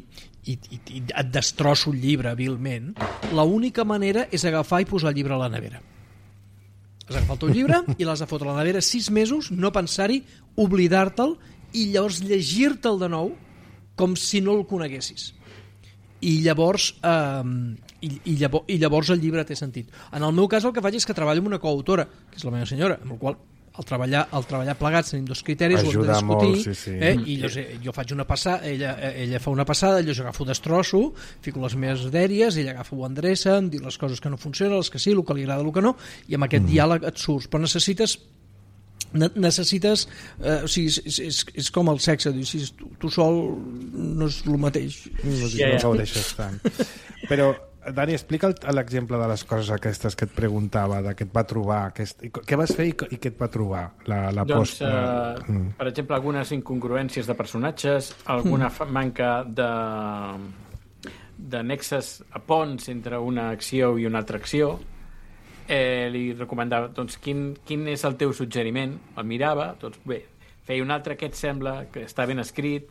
et destrosso el llibre vilment, l'única manera és agafar i posar el llibre a la nevera. Has agafat el teu llibre i l'has de fotre a la nevera 6 mesos, no pensar-hi, oblidar-te'l i llavors llegir-te'l de nou com si no el coneguessis. I llavors el llibre té sentit. En el meu cas el que faig és que treballo amb una coautora, que és la meva senyora, amb la qual al treballar plegats tenim 2 criteris, ho hem de discutir, molt, sí. I jo faig una passada, ella fa una passada, jo agafo destrosso, fico les meves dèries, ella agafa, ho endreça, em diu les coses que no funcionen, les que sí, el que li agrada, el que no, i amb aquest diàleg et surts, però necessites o sigui, és com el sexe, si tu sol no és el mateix, no gaudeixes tant. Però Dani, explica l'exemple de les coses aquestes que et preguntava, de què et va trobar, què vas fer i què et va trobar la posta? Per exemple, algunes incongruències de personatges, alguna manca de nexes a ponts entre una acció i una altra acció. Li recomandava, doncs, quin és el teu suggeriment? El mirava, doncs bé, feia un altre que et sembla que està ben escrit,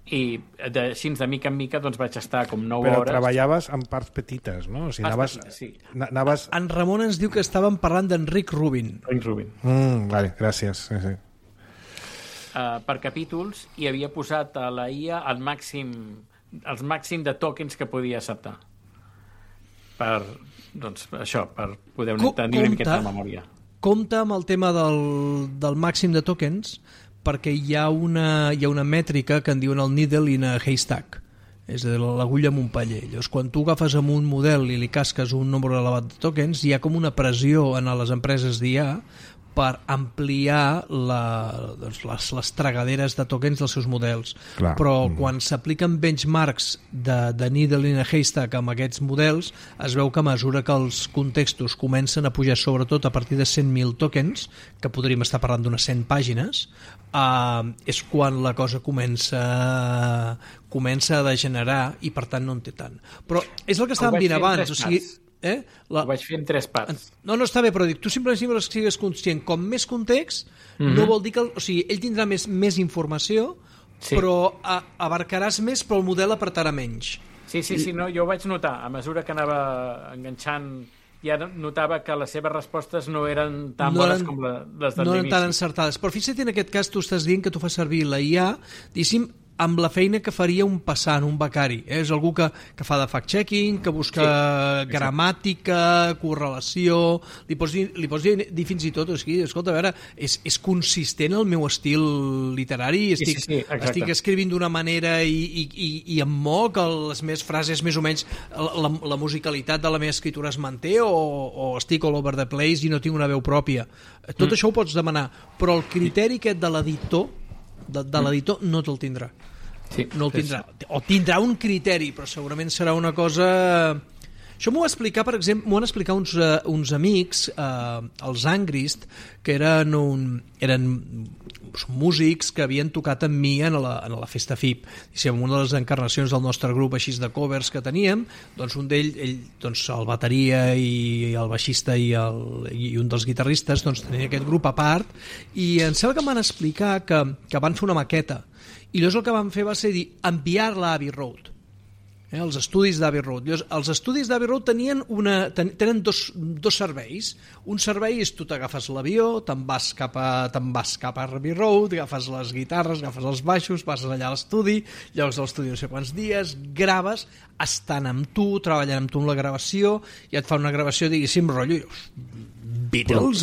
i així de mica en mica doncs vaig estar com 9 hores. Però treballaves en parts petites, no? O sigui, anaves... En Ramon ens diu que estàvem parlant d'Enric Rubin. Vale, gràcies. Sí. Per capítols, i havia posat a la IA el màxim de tokens que podia acceptar. Per poder tenir una miqueta de memòria. Compte amb el tema del màxim de tokens, perquè hi ha una mètrica que en diuen el needle in a haystack, és a dir, l'agulla amb un paller. Llavors, quan tu agafes amb un model i li casques un nombre elevat de tokens, hi ha com una pressió en les empreses d'IA per ampliar les tragaderes de tokens dels seus models. Clar. Però quan s'apliquen benchmarks de needle in a haystack amb aquests models, es veu que a mesura que els contextos comencen a pujar, sobretot a partir de 100.000 tokens, que podríem estar parlant d'unes 100 pàgines, és quan la cosa comença a degenerar i per tant no en té tant. Però és el que estàvem dient abans, o sigui... Ho vaig fer en 3 parts. No, està bé, però dic, tu simplement sigues conscient, com més context, no vol dir que... O sigui, ell tindrà més informació, però abarcaràs més, però el model apretarà menys. Sí, no, jo ho vaig notar. A mesura que anava enganxant, ja notava que les seves respostes no eren tan bones com les de l'inici. No eren tan encertades. Però fixa't, en aquest cas tu estàs dient que tu fas servir la IA, diguéssim, amb la feina que faria un passant, un becari. És algú que fa de fact-checking, que busca gramàtica, correlació... Li pots dir fins i tot, escolta, a veure, és consistent el meu estil literari, estic escrivint d'una manera i em moc, les meves frases més o menys, la musicalitat de la meva escriptura es manté o estic all over the place i no tinc una veu pròpia. Tot això ho pots demanar, però el criteri aquest de l'editor no te'l tindrà. No el tindrà. O tindrà un criteri, però segurament serà una cosa... Això m'ho va explicar, per exemple, m'ho van explicar uns amics, els Angrist, que eren músics que havien tocat amb mi en la Festa FIP. En una de les encarnacions del nostre grup així de covers que teníem, doncs un d'ells, el bateria i el baixista i un dels guitarristes tenien aquest grup a part, i em sembla que em van explicar que van fer una maqueta, i llavors el que van fer va ser enviar-la a Abbey Road, els estudis d'Abbey Road. Els estudis d'Abbey Road tenen dos serveis. Un servei és tu t'agafes l'avió, te'n vas cap a Abbey Road, agafes les guitarres, agafes els baixos, vas allà a l'estudi, llocs a l'estudi no sé quants dies, graves, estan amb tu, treballant amb tu en la gravació, i et fan una gravació, diguéssim, rotllo Beatles,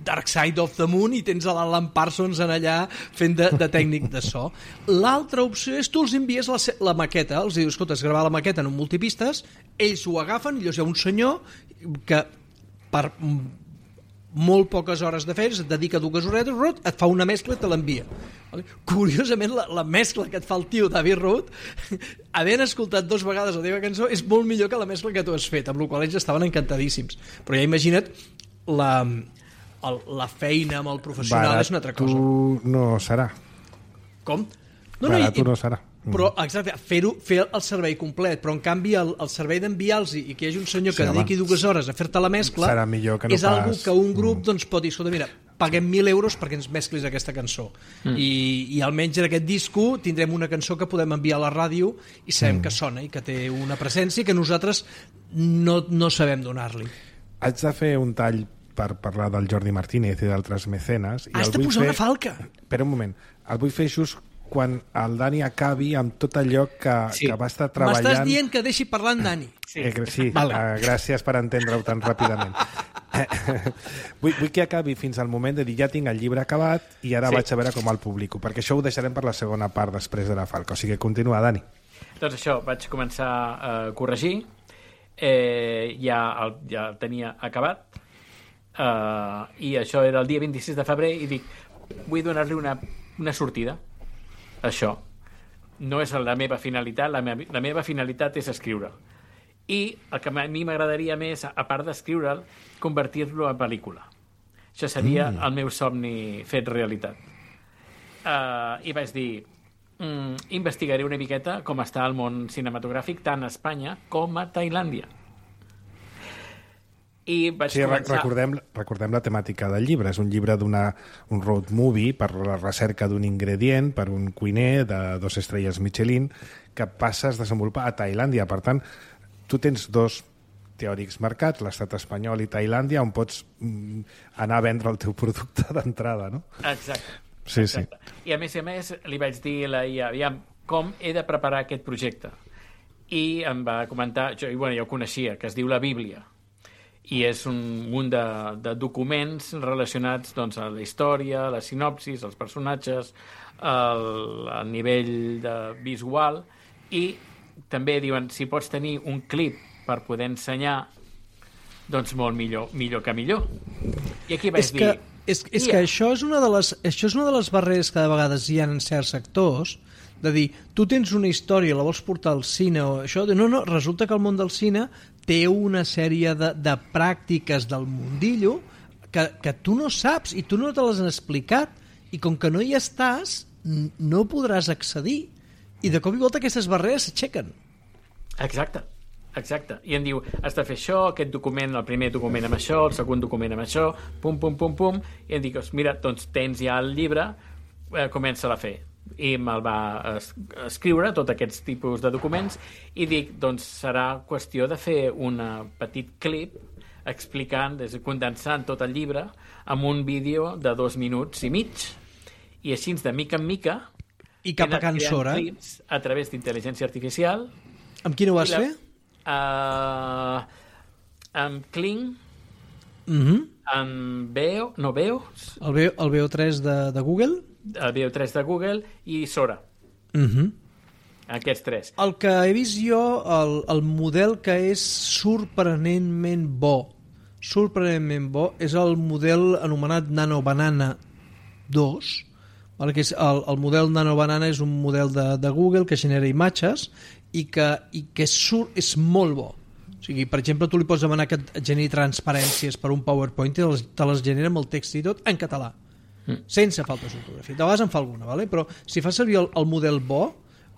Dark Side of the Moon, i tens l'Alan Parsons en allà fent de tècnic de so. L'altra opció és tu els envies la maqueta, els dius, escolta, has gravat la maqueta en un multipistes, ells ho agafen, i llavors hi ha un senyor que per molt poques hores de feina, et dedica 2 horetes, et fa una mescla i te l'envia. Curiosament, la mescla que et fa el tio d'Abbey Road, havent escoltat 2 vegades la teva cançó, és molt millor que la mescla que tu has fet, amb la qual ells estaven encantadíssims. Però ja imagina't, la feina amb el professional és una altra cosa. Tu no serà. Com? Barat no serà. Però, exacte, fer el servei complet, però en canvi el servei d'enviar-los i que hi hagi un senyor que dediqui 2 hores a fer-te la mescla és algo que un grup pot dir, escolta, mira, paguem 1.000 euros perquè ens mesclis aquesta cançó, i almenys en aquest disco tindrem una cançó que podem enviar a la ràdio i sabem que sona i que té una presència que nosaltres no sabem donar-li. Haig de fer un tall per parlar del Jordi Martínez i d'altres mecenes. Has de posar una falca. Espera un moment, el vull fer just quan el Dani acabi amb tot allò que va estar treballant... M'estàs dient que deixi parlar en Dani. Sí, gràcies per entendre-ho tan ràpidament. Vull que acabi fins al moment de dir ja tinc el llibre acabat i ara vaig a veure com el publico, perquè això ho deixarem per la segona part després de la falca. O sigui, continua, Dani. Doncs això, vaig començar a corregir, ja el tenia acabat, i això era el dia 26 de febrer, i dic, vull donar-li una sortida. Això no és la meva finalitat, la meva finalitat és escriure, i el que a mi m'agradaria més, a part d'escriure'l, convertir-lo en pel·lícula. Això seria el meu somni fet realitat. I vaig dir, investigaré una miqueta com està el món cinematogràfic tant a Espanya com a Tailàndia. I vaig començar... Recordem la temàtica del llibre. És un llibre un road movie per la recerca d'un ingredient, per un cuiner de 2 estrelles Michelin, que passa a desenvolupar a Tailàndia. Per tant, tu tens 2 teòrics mercats, l'estat espanyol i Tailàndia, on pots anar a vendre el teu producte d'entrada, no? Exacte. Sí. I a més, li vaig dir aviam, com he de preparar aquest projecte. I em va comentar, jo coneixia, que es diu la Bíblia, i és un munt de documents relacionats a la història, la sinopsis, els personatges, el nivell visual, i també diuen, si pots tenir un clip per poder ensenyar, doncs molt millor que millor. I aquí vaig dir... És que això és una de les barreres que de vegades hi ha en certs sectors, de dir, tu tens una història, la vols portar al cine o això, no, resulta que el món del cine té una sèrie de pràctiques del mundillo que tu no saps i tu no te les han explicat, i com que no hi estàs no podràs accedir, i de cop i volta aquestes barreres s'aixequen. Exacte. I em diu, has de fer això, aquest document, el primer document amb això, el segon document amb això, pum, i em dic, mira, doncs tens ja el llibre, comença-la a fer. I me'l va escriure, tots aquests tipus de documents, i dic, doncs serà qüestió de fer un petit clip explicant, condensant tot el llibre amb un vídeo de 2 minuts i mig, i així de mica en mica I cap a Can Sora. Clips a través d'intel·ligència artificial. Amb quina ho vas fer? Amb Kling, amb Veo, no Veo. El Veo3 de Google? El Veo3 de Google i Sora. Aquests 3. El que he vist jo, el model que és sorprenentment bo, és el model anomenat Nano Banana 2, que és el model Nano Banana és un model de Google que genera imatges i que és molt bo. O sigui, per exemple, tu li pots demanar que et generi transparències per un PowerPoint i te les genera amb el text i tot en català, sense faltes d'ortografia. De vegades en fa alguna, però si fa servir el model bo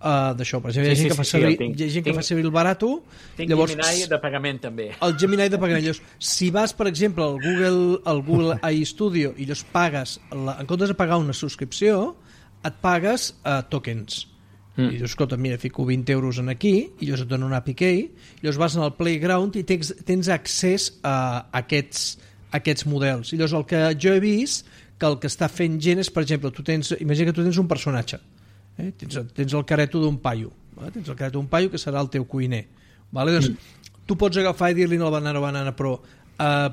d'això, per exemple, hi ha gent que fa servir el barato. Tinc Gemini de pagament també. El Gemini de pagament. Llavors, si vas, per exemple, al Google AI Studio i llavors pagues, en comptes de pagar una subscripció, et pagues tokens. I dius, escolta, mira, fico 20 euros en aquí i llavors et dono un APK i llavors vas al Playground i tens accés a aquests models. I llavors el que jo he vist que el que està fent gent és, per exemple, imagina que tu tens un personatge, tens el careto d'un paio, tens el careto d'un paio que serà el teu cuiner, doncs tu pots agafar i dir-li al banana, però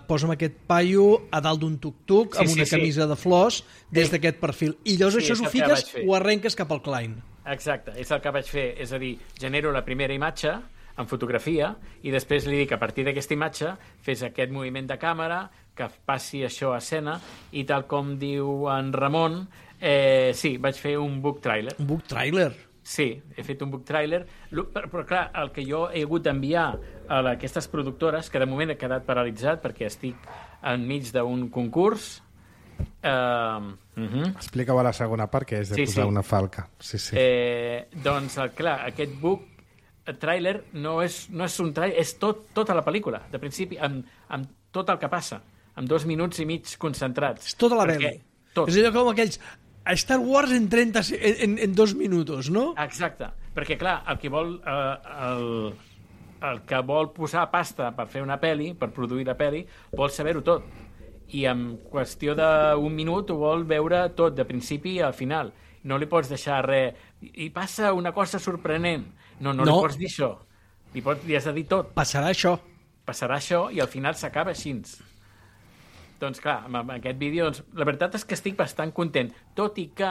posa'm aquest paio a dalt d'un tuk-tuk amb una camisa de flors des d'aquest perfil, i llavors això ho fiques, ho arrenques cap al client. Exacte, és el que vaig fer, és a dir, genero la primera imatge en fotografia i després li dic, a partir d'aquesta imatge fes aquest moviment de càmera, que passi això a escena, i tal com diu en Ramon, sí, vaig fer un book trailer. Un book trailer? Sí, he fet un book trailer, però clar, el que jo he hagut d'enviar a aquestes productores, que de moment he quedat paralitzat perquè estic enmig d'un concurs. Explica-ho a la segona part, que és de posar una falca. Doncs, clar, aquest book trailer no és un trailer, és tota la pel·lícula, de principi, amb tot el que passa, amb 2 minuts i mig concentrats. És tota la pel·li. És allò com aquells Star Wars en 2 minuts, no? Exacte, perquè clar, el que vol posar pasta per fer una pel·li, per produir la pel·li, vol saber-ho tot. I en qüestió d'un minut ho vol veure tot, de principi a final. No li pots deixar res. I passa una cosa sorprenent. No li pots dir això. Li has de dir tot. Passarà això i al final s'acaba així. Doncs clar, amb aquest vídeo, la veritat és que estic bastant content. Tot i que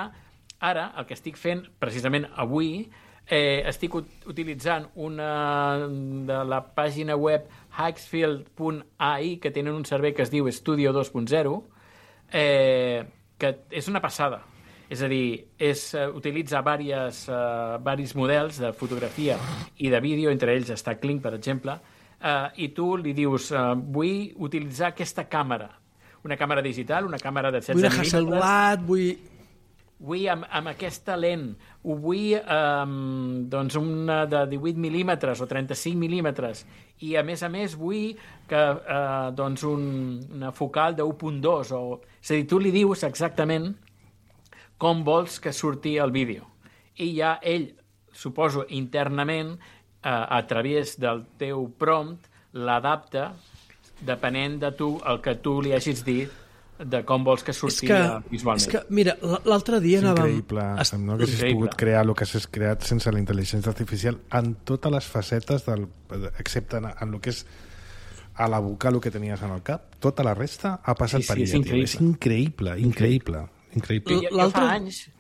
ara el que estic fent, precisament avui, estic utilitzant una de la pàgina web Hikesfield.ai, que tenen un servei que es diu Studio 2.0, que és una passada. És a dir, utilitza varis models de fotografia i de vídeo, entre ells està Kling, per exemple, i tu li dius, vull utilitzar aquesta càmera, una càmera digital, una càmera de 16 mil·límetres. Vull una Hasselblad, vull amb aquesta lent, ho vull una de 18 mil·límetres o 35 mil·límetres, i a més vull que una focal de 1.2, és a dir, tu li dius exactament com vols que surti el vídeo, i ja ell, suposo internament, a través del teu prompt, l'adapta depenent de tu, el que tu li hagis dit, de com vols que surti visualment. És que, mira, l'altre dia anàvem... Increïble, no haguessis pogut crear el que has creat sense la intel·ligència artificial en totes les facetes, excepte en el que és a la boca, el que tenies en el cap. Tota la resta ha passat per ella. És increïble. Jo fa anys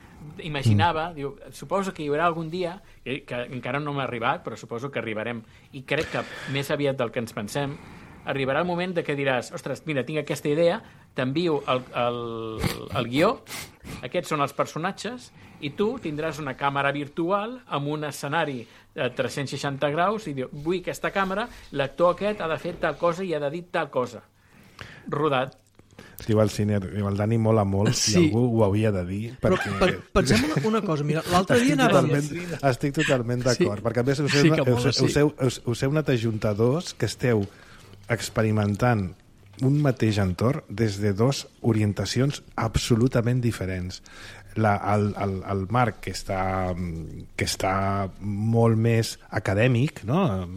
imaginava, suposo que hi haurà algun dia, que encara no m'ha arribat, però suposo que arribarem, i crec que més aviat del que ens pensem, arribarà el moment de que diràs, ostres, mira, tinc aquesta idea, t'envio el guió, aquests són els personatges, i tu tindràs una càmera virtual amb un escenari de 360 graus i diu, vull aquesta càmera, l'actor aquest ha de fer tal cosa i ha de dir tal cosa. Rodat. Diu el Dani mola molt, i algú ho havia de dir. Però pensem una cosa, mira, l'altre dia anàvem... Estic totalment d'acord, perquè a més us heu anat a juntar dos que esteu experimentant un mateix entorn des de dues orientacions absolutament diferents. El Marc, que està molt més acadèmic, no?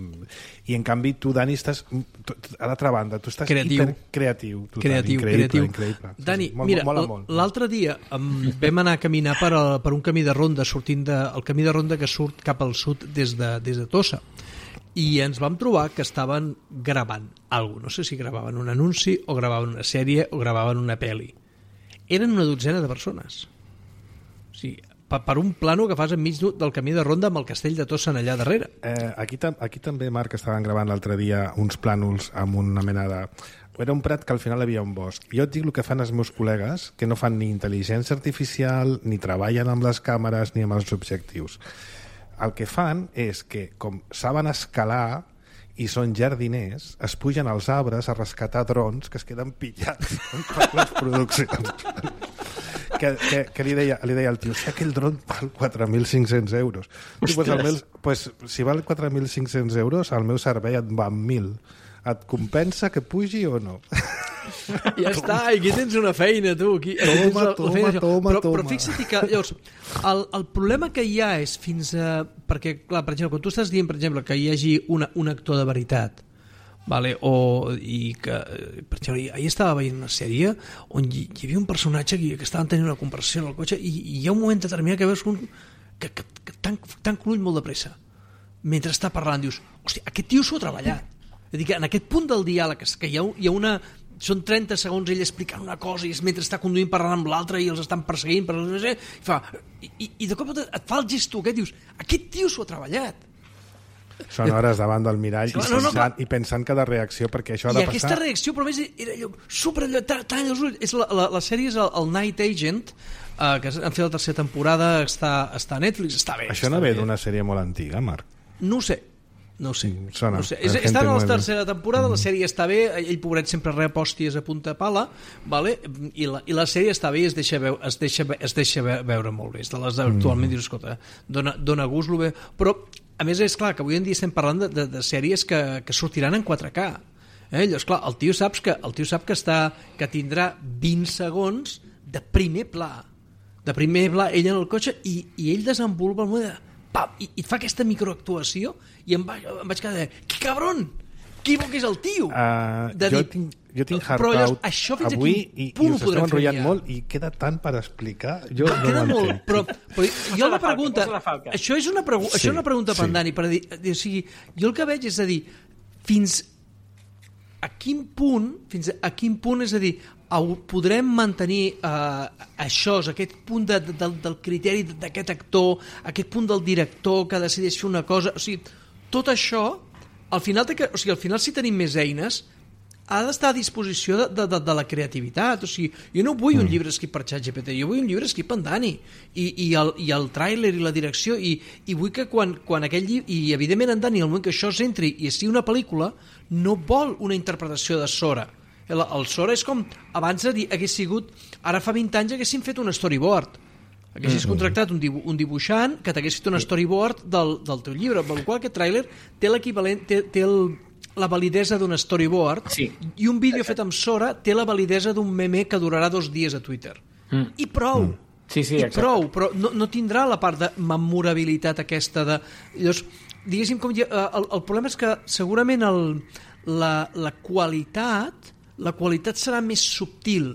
I en canvi tu, Dani, estàs a l'altra banda, tu estàs hipercreatiu. Increïble. Dani, mira, l'altre dia vam anar a caminar per un camí de ronda, el camí de ronda que surt cap al sud des de Tossa, i ens vam trobar que estaven gravant alguna cosa. No sé si gravaven un anunci o gravaven una sèrie o gravaven una pel·li. Eren una dotzena de persones. O sigui, per un plano que fas enmig del camí de ronda amb el castell de Tossa allà darrere. Aquí també, Marc, estaven gravant l'altre dia uns plànols amb una mena de... Era un prat que al final hi havia un bosc. Jo et dic el que fan els meus col·legues, que no fan ni intel·ligència artificial, ni treballen amb les càmeres, ni amb els objectius. El que fan és que, com saben escalar i són jardiners, es pugen als arbres a rescatar drons que es queden pillats en les produccions. Que li deia al tio, si aquell dron val 4.500 euros. Pues, si val 4.500 euros, el meu servei et va amb 1.000. Et compensa que pugi o no? Ja està, aquí tens una feina, tu. Toma. Però fixa't que, llavors, el problema que hi ha és fins a... Perquè, clar, per exemple, quan tu estàs dient, per exemple, que hi hagi un actor de veritat, vale? I que, per exemple, ahir estava veient una sèrie on hi havia un personatge que estaven tenint una conversació en el cotxe i hi ha un moment determinat que veus que tanca l'ull molt de pressa mentre està parlant, dius, hòstia, aquest tio s'ho ha treballat. És a dir, que en aquest punt del diàleg que hi ha una... Són 30 segons ell explicant una cosa i mentre està conduint parlant amb l'altre i els estan perseguint i de cop et fa el gesto aquest, dius, aquest tio s'ho ha treballat. Són hores davant del mirall i pensant cada reacció, perquè això ha de passar... I aquesta reacció, però a més, era allò super... Talla els ulls. La sèrie és el Night Agent, que han fet la tercera temporada, està a Netflix, està bé. Això no ve d'una sèrie molt antiga, Marc? No ho sé. Està en la tercera temporada, la sèrie està bé, ell pobret sempre rep hòsties a punta pala, vale? I la sèrie està bé i es deixa veure molt bé. És de les actualment, dius, escolta, dona gust lo bé, però a més és clar que avui en dia estem parlant de sèries que sortiran en 4K. Llavors, clar, el tio sap que tindrà 20 segons de primer pla, ell en el cotxe, i ell desenvolupa el moment de... I et fa aquesta microactuació i em vaig quedar que cabron, que bo que és el tio. Jo tinc Hard Out avui i us esteu enrotllant molt i queda tant per explicar. Jo no ho entenc. Però jo la pregunta... Això és una pregunta per en Dani. O sigui, jo el que veig és a dir, fins a quin punt, és a dir, podrem mantenir aquest punt del criteri d'aquest actor, aquest punt del director que decideix fer una cosa, o sigui, tot això al final si tenim més eines ha d'estar a disposició de la creativitat. O sigui, jo no vull un llibre escrit per ChatGPT, jo vull un llibre escrit per en Dani i el tràiler i la direcció i vull que quan aquell llibre, i evidentment en Dani, al moment que això s'entri i sigui una pel·lícula, no vol una interpretació de Sora. El Sora és com abans hagués sigut, ara fa 20 anys haguessin fet un storyboard, haguessis contractat un dibuixant que t'hagués fet un storyboard del teu llibre, amb el qual aquest tràiler té l'equivalent, té la validesa d'un storyboard, i un vídeo fet amb Sora té la validesa d'un meme que durarà 2 dies a Twitter. I prou. Prou, però no tindrà la part de memorabilitat aquesta de... Llavors, diguéssim, el problema és que segurament la qualitat serà més subtil.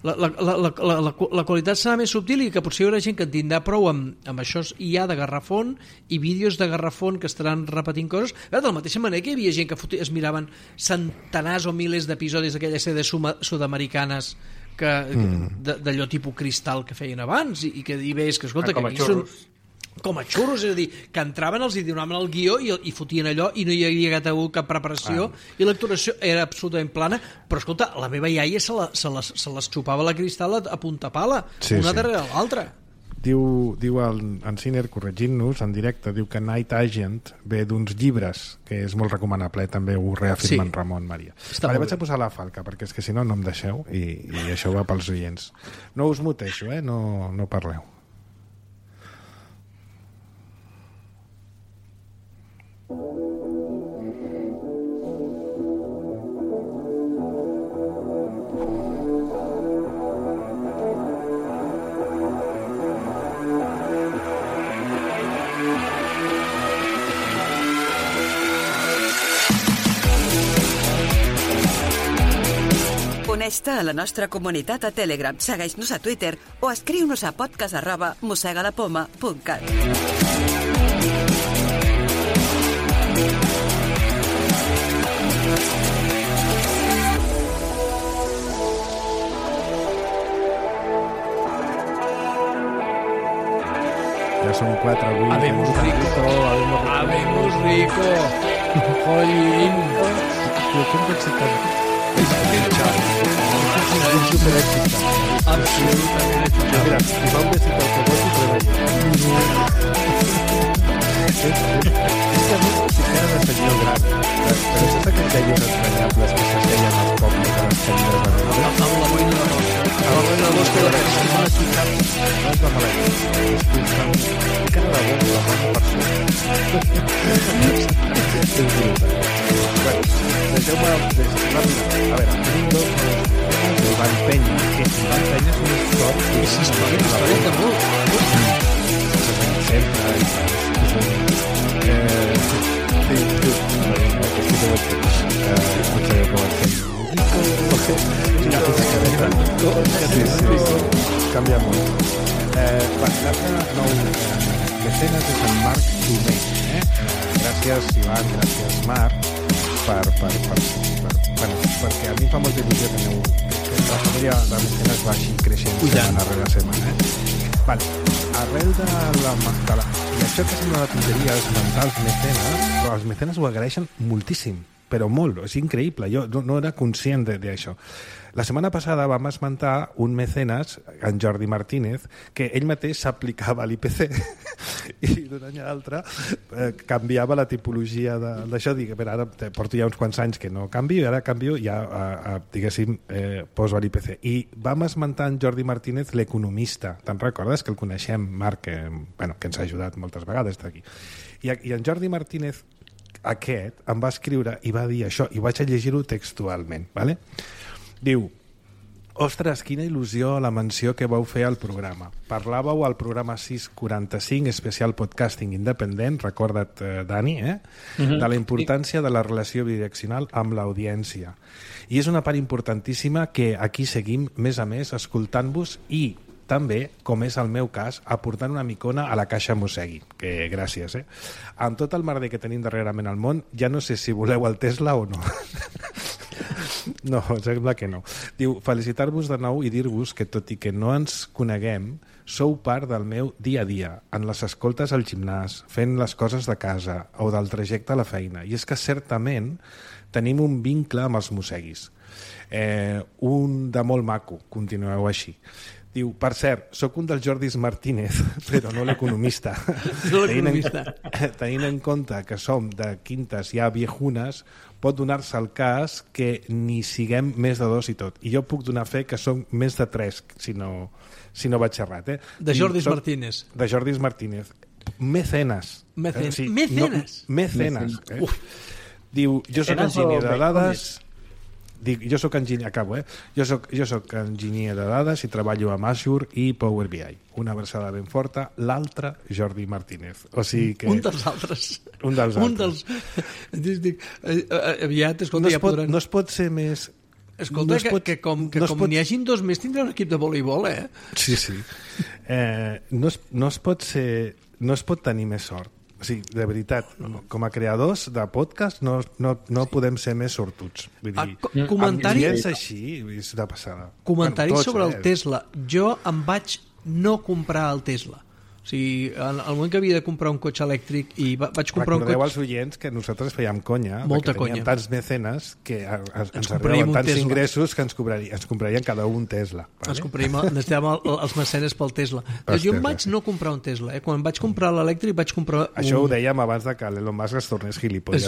La qualitat serà més subtil i que potser hi haurà gent que en tindrà prou amb això ja de garrafón i vídeos de garrafón que estaran repetint coses. De la mateixa manera que hi havia gent que es miraven centenars o milers d'episodis d'aquella sèrie sud-americanes d'allò tipus Cristal que feien abans i que veus que, escolta, que aquí són com a xurros, és a dir, que entraven, els hi donaven el guió i fotien allò i no hi havia cap preparació i l'actuació era absolutament plana, però escolta, la meva iaia se les xupava la Cristal a punta pala, una darrere l'altra. Diu en Ciner, corregint-nos en directe, diu que Night Agent ve d'uns llibres, que és molt recomanable, també ho reafirma en Ramon Maria. Vaig a posar la falca, perquè és que si no em deixeu i això va pels oients. No us muteixo, no parleu. Connecta a la nostra comunitat a Telegram, segueix-nos a Twitter o escriu-nos a podcast@mossegalapoma.cat. Ja són 4 avui. Habemos rico. Jolín. Com que excitant? Absolutament. Mira, si fa un besito al cobot i treballa. És que a mi sí que era de senyor gran. Però saps aquells deios entranyables que s'asseien al poble de les senyores de Nadal? Amb la boina de rosa. Amb la boina de rosa que la pensa és una xicada. No és la malaltia. És que estan ficant la boca la mano per sobre. Deixeu-me ràpida. A veure, tenim dos Ivan Penya, que Ivan Penya és un històric. És històric de molt. Sempre. Canvia molt. L'altre nou mecenes és en Marc Domé. Gràcies, Ivan, gràcies, Marc, perquè a mi em fa molta il·lusió que la família de mecenes vagi creixent setmana rere setmana. Vale. Arrel de la... I això que sembla una tonteria, els mentals mecenes, però els mecenes ho agraeixen moltíssim, però molt, és increïble, jo no era conscient d'això. La setmana passada vam esmentar un mecenes, en Jordi Martínez, que ell mateix s'aplicava a l'IPC i d'un any a l'altre canviava la tipologia d'això. Dic, ara porto ja uns quants anys que no canvio i ara canvio ja, diguéssim, poso a l'IPC. I vam esmentar en Jordi Martínez l'economista. Te'n recordes que el coneixem, Marc, que ens ha ajudat moltes vegades d'aquí. I en Jordi Martínez aquest em va escriure i va dir això, i vaig a llegir-ho textualment, ¿vale? Diu: ostres, quina il·lusió la menció que vau fer al programa. Parlàveu al programa 645, especial podcasting independent, recorda't, Dani, de la importància de la relació bidireccional amb l'audiència. I és una part importantíssima que aquí seguim, més a més, escoltant-vos i també, com és el meu cas, aportant una micona a la caixa Mossegui, que gràcies, Amb tot el merder que tenim darrerament al món, ja no sé si voleu el Tesla o no. No, sembla que no. Diu, felicitar-vos de nou i dir-vos que, tot i que no ens coneguem, sou part del meu dia a dia, en les escoltes al gimnàs, fent les coses de casa o del trajecte a la feina. I és que certament tenim un vincle amb els mosseguis. Un de molt maco, continueu així. Diu, per cert, sóc un dels Jordis Martínez, però no l'economista. Tenint en compte que som de quintes ja viejunes, pot donar-se el cas que ni siguem més de 2 i tot. I jo puc donar fe que som més de 3, si no vaig errat. De Jordis Martínez. De Jordis Martínez. Mecenes. Mecenes. Mecenes. Diu, jo soc enginyer de dades... Jo soc enginyer, acabo, Jo soc enginyer de dades i treballo amb Azure i Power BI. Una versada ben forta, l'altre Jordi Martínez. O sigui que... Un dels altres. Aviat, escolta, ja podran... No es pot ser més... Escolta, que com n'hi hagin 2 més tindrà un equip de voleibol, Sí. No es pot tenir més sort. O sigui, de veritat, com a creadors de podcast no podem ser més sortuts. Vull dir, comentaris així és de passada. Comentaris sobre el Tesla. Jo em vaig no comprar el Tesla. O sigui, al moment que havia de comprar un cotxe elèctric i vaig comprar un cotxe... Recordeu als oients que nosaltres fèiem conya, molta que conya. teníem tants mecenes que ens arribaven tants ingressos que ens comprarien cada un Tesla. Vale? Necessitàvem els mecenes pel Tesla. Jo em vaig no comprar un Tesla. Quan vaig comprar l'elèctric vaig comprar Això ho dèiem abans de que l'Elon Musk es tornés gilipolles.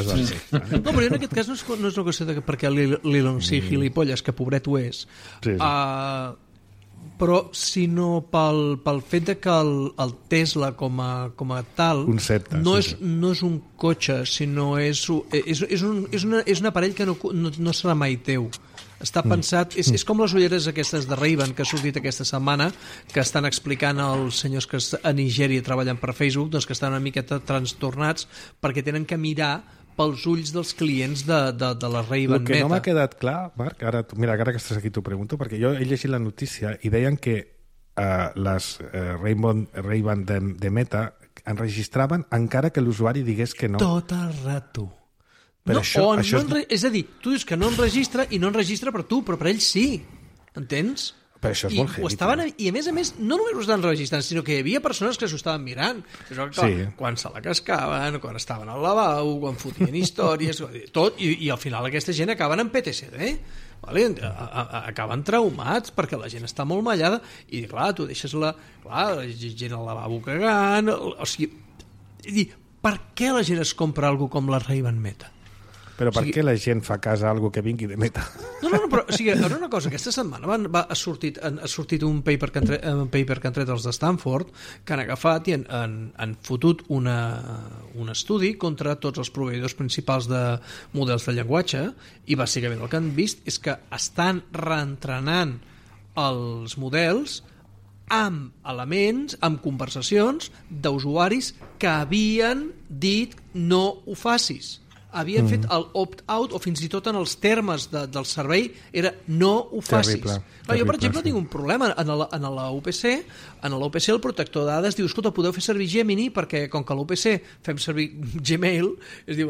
No, però en aquest cas no és una qüestió de perquè l'Elon sigui gilipolles, que pobret ho és. Però sinó pel fet de que el Tesla com a tal concepte, no és un cotxe, sinó és un aparell que no serà mai teu. Està pensat, és com les ulleres aquestes de Ray-Ban que ha sortit aquesta setmana, que estan explicant els senyors que a Nigèria treballen per Facebook, doncs que estan una miqueta trastornats perquè tenen que mirar pels ulls dels clients de la Ray-Ban Meta. El que no m'ha quedat clar, Marc, ara que estàs aquí t'ho pregunto, perquè jo he llegit la notícia i deien que les Ray-Ban de Meta enregistraven encara que l'usuari digués que no. Tot el rato. Però és a dir, tu dius que no enregistra i no enregistra per tu, però per ells sí. Entens? Però això és molt heavy. I a més, no només ho estaven registrant, sinó que hi havia persones que s'ho estaven mirant. Quan se la cascaven, quan estaven al lavabo, quan fotien històries, tot, i al final aquesta gent acaben en PTSD. Vale? Acaben traumats perquè la gent està molt mallada i clar, tu deixes la gent al lavabo cagant, o sigui, per què la gent es compra alguna com la Ray-Ban Meta? Però per què la gent fa cas a algo que vingui de Meta? No, però o sigui, una cosa, aquesta setmana ha sortit un paper que han tret els de Stanford que han agafat i han fotut un estudi contra tots els proveïdors principals de models de llenguatge i bàsicament el que han vist és que estan reentrenant els models amb elements, amb conversacions d'usuaris que havien dit no ho facis. Havien fet el opt-out o fins i tot en els termes del servei era no ho facis. Jo, per exemple, tinc un problema en la UPC. En la UPC el protector de dades diu, escolta, podeu fer servir Gemini perquè com que a l'UPC fem servir Gmail, es diu,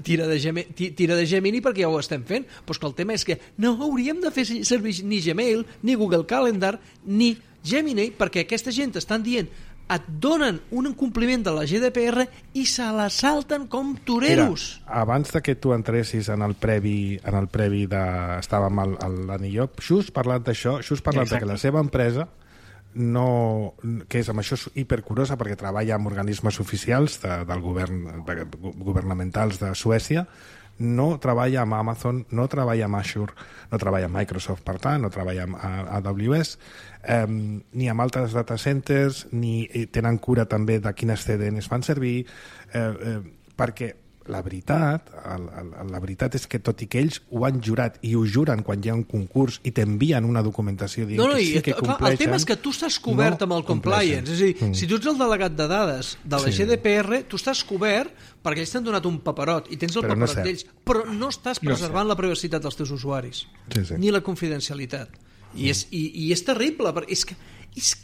tira de Gemini perquè ja ho estem fent. Però que el tema és que no hauríem de fer servir ni Gmail, ni Google Calendar, ni Gemini, perquè aquesta gent estan dient et donen un incompliment de la GDPR i se la salten com toreros. Mira, abans de que tu entressis en el previ estàvem a l'Anillop, just parlant d'això, de que la seva empresa que és amb això hipercurosa perquè treballa amb organismes oficials del govern governamentals de Suècia, no treballa amb Amazon, no treballa amb Azure, no treballa amb Microsoft, per tant, no treballa amb AWS, ni amb altres data centers, ni tenen cura també de quines CDNs fan servir, perquè la veritat és que tot i que ells ho han jurat i ho juren quan hi ha un concurs i t'envien una documentació dient que sí que compleixen... El tema és que tu estàs cobert amb el compliance. És a dir, si tu ets el delegat de dades de la GDPR, tu estàs cobert perquè ells t'han donat un paperot i tens el paperot d'ells, però no estàs preservant la privacitat dels teus usuaris, ni la confidencialitat. I és terrible, perquè és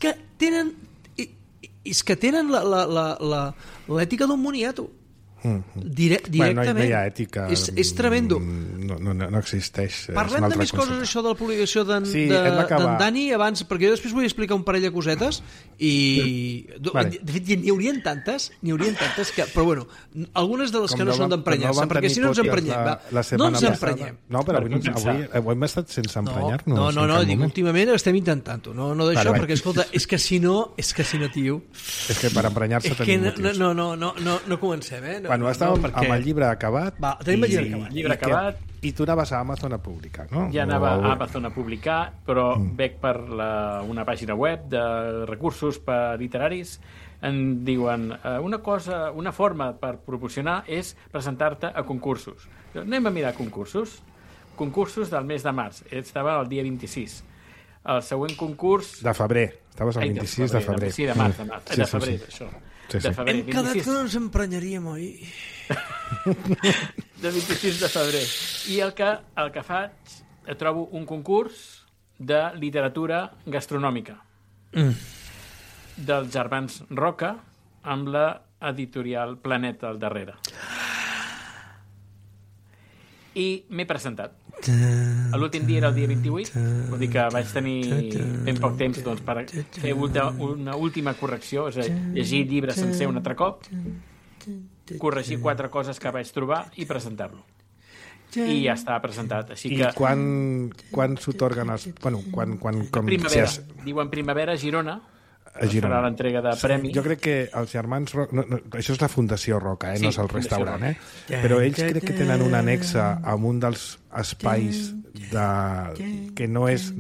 que tenen l'ètica d'un moniato. Directament. No hi ha ètica. És tremendo. No existeix. Parlem de més coses, això de la publicació d'en Dani abans, perquè jo després vull explicar un parell de cosetes i de fet n'hi haurien tantes que, però bueno, algunes de les que no són d'emprenyar-se, perquè si no ens emprenyem. No ens emprenyem. No, però avui hem estat sense emprenyar-nos. No, dic, últimament estem intentant-ho, no d'això, perquè escolta, és que si no, tio... És que per emprenyar-se tenim motius. No comencem, Bueno, estàvem amb el llibre acabat. Tenim el llibre acabat. I tu anaves a Amazon a publicar, no? Ja anava a Amazon a publicar, però veig per una pàgina web de recursos per literaris. En diuen, una forma per proporcionar és presentar-te a concursos. Anem a mirar concursos. Concursos del mes de març. Estava el dia 26. El següent concurs... De febrer. Estaves el 26 de febrer. Sí, de març. De febrer, això. Hem quedat que no ens emprenyaríem, oi? De 26 de febrer. I el que faig, trobo un concurs de literatura gastronòmica dels germans Roca amb la editorial Planeta al darrere. I m'he presentat. L'últim dia era el dia 28, vull dir que vaig tenir ben poc temps per fer una última correcció, és a dir, llegir el llibre sencer un altre cop, corregir 4 coses que vaig trobar i presentar-lo. I ja està presentat. Així que... I quan s'otorguen els... Primavera. Diuen primavera a Girona. Farà l'entrega de premi. Jo crec que els germans Roca... això és la Fundació Roca, no és el restaurant, però ells crec que tenen un anexa amb un dels espais que no és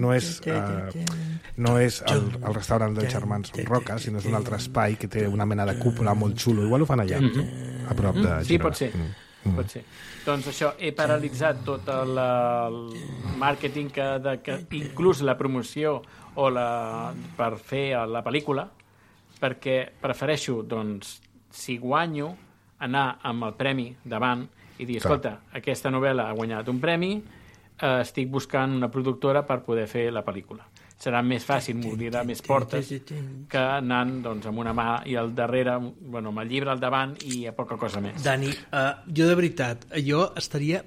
el restaurant dels germans Roca, sinó és un altre espai que té una mena de cúpula molt xulo. Igual ho fan allà, a prop de Girona. Sí, pot ser. Pot ser. Doncs això, he paralitzat tot el màrqueting que inclús la promoció o per fer la pel·lícula, perquè prefereixo, doncs, si guanyo, anar amb el premi davant i dir, escolta, aquesta novel·la ha guanyat un premi, estic buscant una productora per poder fer la pel·lícula. Serà més fàcil, m'obrirà més portes que anant doncs, amb una mà i al darrere, bueno, amb el llibre al davant i a poca cosa més. Dani, jo de veritat, jo estaria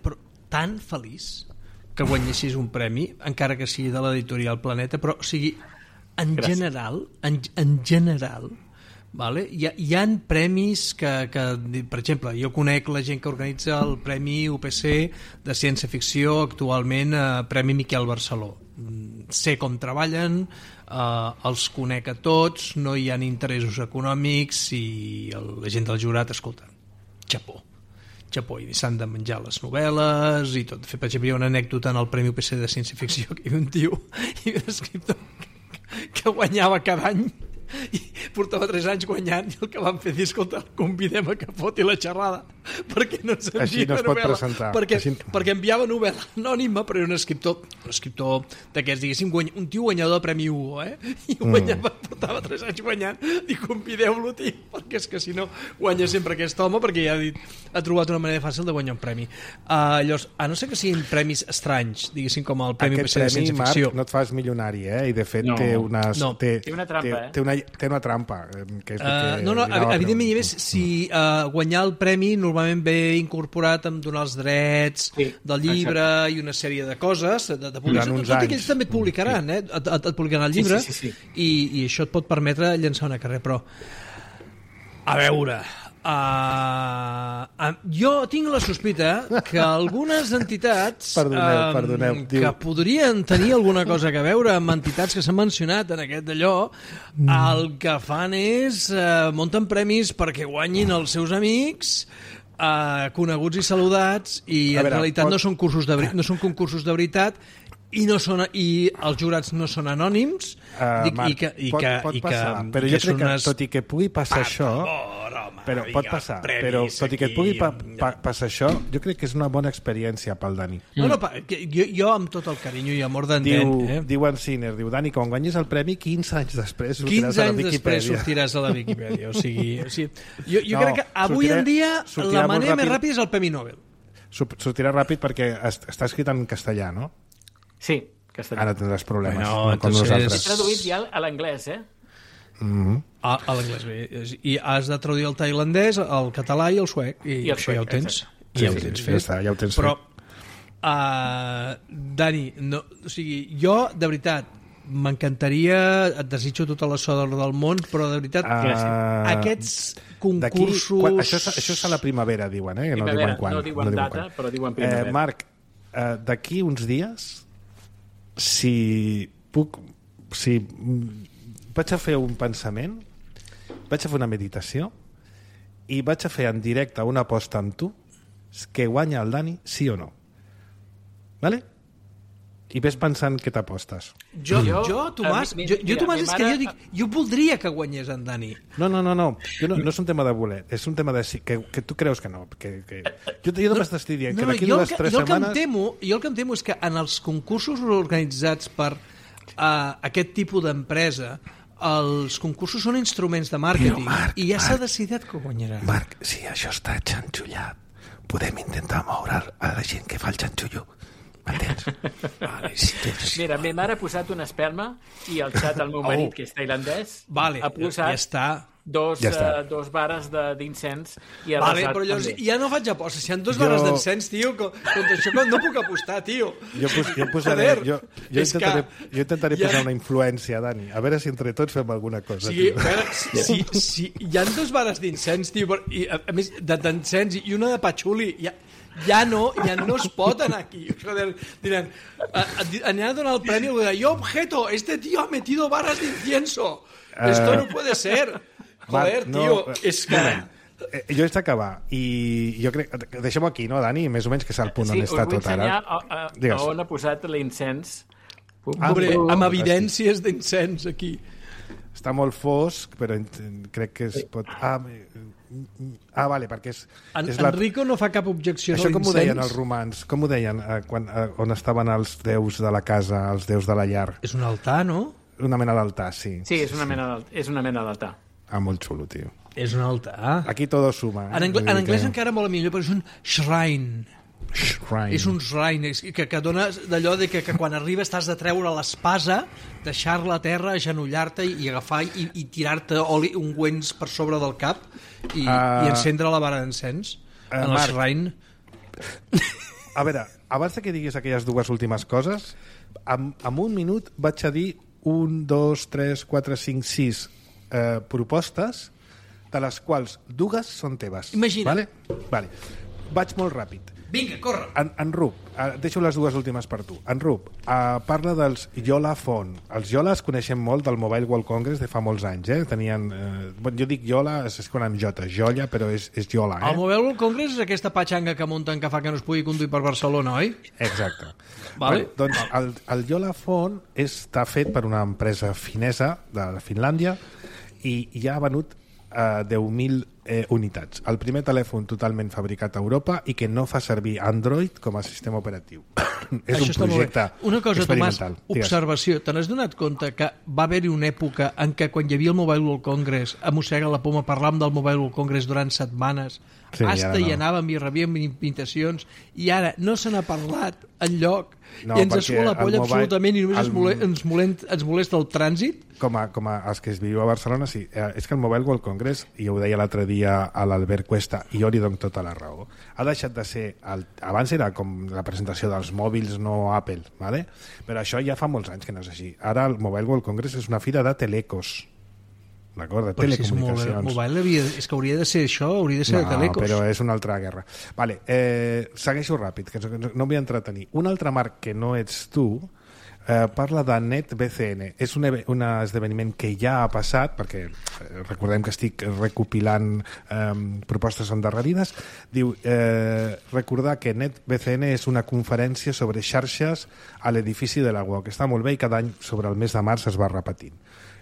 tan feliç que guanyessis un premi, encara que sigui de l'editorial Planeta, però, o sigui, en general, vale? Hi ha premis que, per exemple, jo conec la gent que organitza el Premi UPC de Ciència-Ficció, actualment Premi Miquel Barceló. Sé com treballen, els conec a tots, no hi ha interessos econòmics i la gent del jurat, escolta, xapó, i s'han de menjar les novel·les i tot. Per exemple, hi ha una anècdota en el Premi UPC de Ciència-Ficció que hi havia un tio, hi havia un escriptor que guanyava cada any i portava 3 anys guanyant i el que van fer dir, escolta, el convidem a que foti la xerrada perquè no ens així no es pot presentar perquè enviava novel·la anònima, però era un escriptor d'aquests, diguéssim, un tio guanyador del Premi Hugo, i guanyava, portava 3 anys guanyant i convideu-lo, tio, perquè és que si no guanya sempre aquest home, perquè ja ha trobat una manera fàcil de guanyar un premi. Llavors, a no ser que siguin premis estranys, diguéssim, com el Premi UPC de Ciència-Ficció. Marc, no et fas milionari, i de fet té una trampa, té una trampa. Evidentment, si guanyar el premi normalment ve incorporat amb donar els drets del llibre i una sèrie de coses de publicació, tot i que ells també et publicaran, et publicaran el llibre, i això et pot permetre llançar una carrera, però a veure, jo tinc la sospita que algunes entitats perdoneu, que podrien tenir alguna cosa a veure amb entitats que s'han mencionat en aquest d'allò, el que fan és munten premis perquè guanyin els seus amics, coneguts i saludats, i en realitat no són concursos de veritat, i els jurats no són anònims, pot passar, però jo crec que tot i que pugui passar això, però pot passar, però tot i que pugui passar això, jo crec que és una bona experiència pel Dani. Jo amb tot el carinyo i amor d'entén, diu en Sinner, diu, Dani, quan guanyis el premi 15 anys després sortiràs a la Viquipèdia. 15 anys després sortiràs a la Viquipèdia, o sigui, jo crec que avui en dia la manera més ràpida és el Premi Nobel. Sortirà ràpid perquè està escrit en castellà, no? Sí, castellà. Ara tindràs problemes. Com nosaltres. He traduït ja a l'anglès, A l'anglès, bé. I has de traduir el tailandès, el català i el suec. I això ja ho tens. Ja ho tens fet. Ja ho tens fet. Però, Dani, o sigui, jo, de veritat, m'encantaria, et desitjo tota la sort del món, però de veritat, aquests concursos... Això és a la primavera, diuen, que no diuen quan. No diuen data, però diuen primavera. Marc, d'aquí uns dies, si vaig a fer un pensament, vaig a fer una meditació i vaig a fer en directe una aposta amb tu que guanya el Dani, sí o no. Vale? I ves pensant què t'apostes. Tomàs, és que jo dic, jo voldria que guanyés en Dani. No. No és un tema de voler, és un tema de que tu creus que no. Jo només t'estic dient que d'aquí 2 o 3 setmanes... Jo el que em temo és que en els concursos organitzats per aquest tipus d'empresa, els concursos són instruments de màrqueting, i ja s'ha decidit que guanyarà. Marc, si això està xanxullat, podem intentar moure a la gent que fa el xanxullo. M'entens? Mira, ma mare ha posat una espelma i al xat el meu marit, que és tailandès, ha posat dos vares d'incens i ha resat però llavors ja no faig apostes. Si hi ha 2 vares d'encens, tio, contra això no puc apostar, tio. Jo intentaré posar una influència, Dani, a veure si entre tots fem alguna cosa. Si hi ha 2 vares d'incens, tio, i a més d'encens i una de patxuli, ja no es pot anar aquí. Joder, diran, aniran a donar el premi i yo objeto, este tío ha metido barras de incienso. Esto no puede ser. Joder, tio, és que... Jo haig d'acabar i jo crec... Deixem-ho aquí, no, Dani? Més o menys que és el punt on està tot ara. Sí, us vull ensenyar on ha posat l'incens. Amb evidències d'incens aquí. Està molt fosc, però crec que es pot... vale, perquè és... Enrico no fa cap objecció a l'incens. Això com ho deien els romans? Com ho deien on estaven els déus de la casa, els déus de la llar? És un altar, no? Una mena d'altar, sí. Sí, és una mena d'altar. Molt xulo, tio. És un altar. Aquí todo suma. En anglès encara molt millor, però és un shrine. És un shrine que dona d'allò de que quan arriba t'has de treure l'espasa, deixar-la a terra, agenollar-te i agafar i tirar-te oli ungüents per sobre del cap i encendre la vara d'encens en el shrine. A veure, abans que diguis aquelles dues últimes coses, en un minut vaig a dir 1, 2, 3, 4, 5, 6 propostes, de les quals dues són teves. Imagina. Vale. Vaig molt ràpid. Vinga, corre. En Rup, deixo les dues últimes per tu. En Rup, parla dels Yola Phone. Els Yola es coneixem molt del Mobile World Congress de fa molts anys, Tenien... jo dic Yola, és com amb J, Jolla, però és Yola, El Mobile World Congress és aquesta patxanga que munten que fa que no es pugui conduir per Barcelona, oi? Exacte. Vale. Doncs el Yola Phone està fet per una empresa finesa de Finlàndia i ja ha venut 10.000 unitats. El primer telèfon totalment fabricat a Europa i que no fa servir Android com a sistema operatiu. És un projecte Una cosa, Tomàs, experimental. observació. Te n'has donat compte que va haver-hi una època en què quan hi havia el Mobile World Congress, a mossega la poma, parlàvem del Mobile World Congress durant setmanes, hi anàvem i rebíem invitacions, i ara no se n'ha parlat enlloc i ens sua la polla absolutament i només ens molesta el trànsit. Com a els que es viu a Barcelona, sí. És que el Mobile World Congress, i ho deia l'altre dia a l'Albert Cuesta, i jo li dono tota la raó, ha deixat de ser... Abans era com la presentació dels mòbils, no Apple, ¿vale? Però això ja fa molts anys que no és així. Ara el Mobile World Congress és una fira de telecos, d'acord? De telecomunicacions. És que hauria de ser això, hauria de ser de telecos. No, però és una altra guerra. Vale, segueixo ràpid, que no em vull entretenir. Un altre marc que no ets tu parla de NetBCN. És un esdeveniment que ja ha passat, perquè recordem que estic recopilant propostes endarrerides. Diu, recordar que NetBCN és una conferència sobre xarxes a l'edifici de la UOC, que està molt bé i cada any sobre el mes de març es va repetint.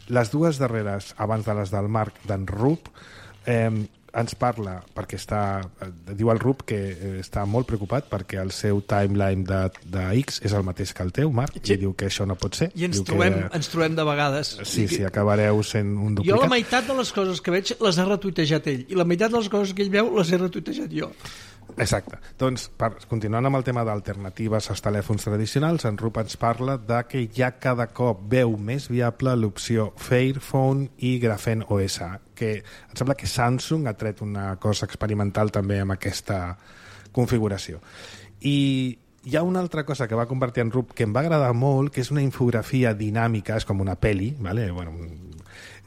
Les dues darreres, abans de les del Marc, d'en Rup, ens parla, perquè diu el Rup que està molt preocupat perquè el seu timeline de X és el mateix que el teu, Marc, i diu que això no pot ser. I ens trobem de vegades. Sí, acabareu sent un duplicat. Jo la meitat de les coses que veig les ha retuitejat ell, i la meitat de les coses que ell veu les he retuitejat jo. Exacte. Doncs, continuant amb el tema d'alternatives als telèfons tradicionals, en Rup ens parla de que ja cada cop veu més viable l'opció Fairphone i Graphene OS, que em sembla que Samsung ha tret una cosa experimental també amb aquesta configuració. I hi ha una altra cosa que va convertir en Rup que em va agradar molt, que és una infografia dinàmica, és com una peli, ¿vale?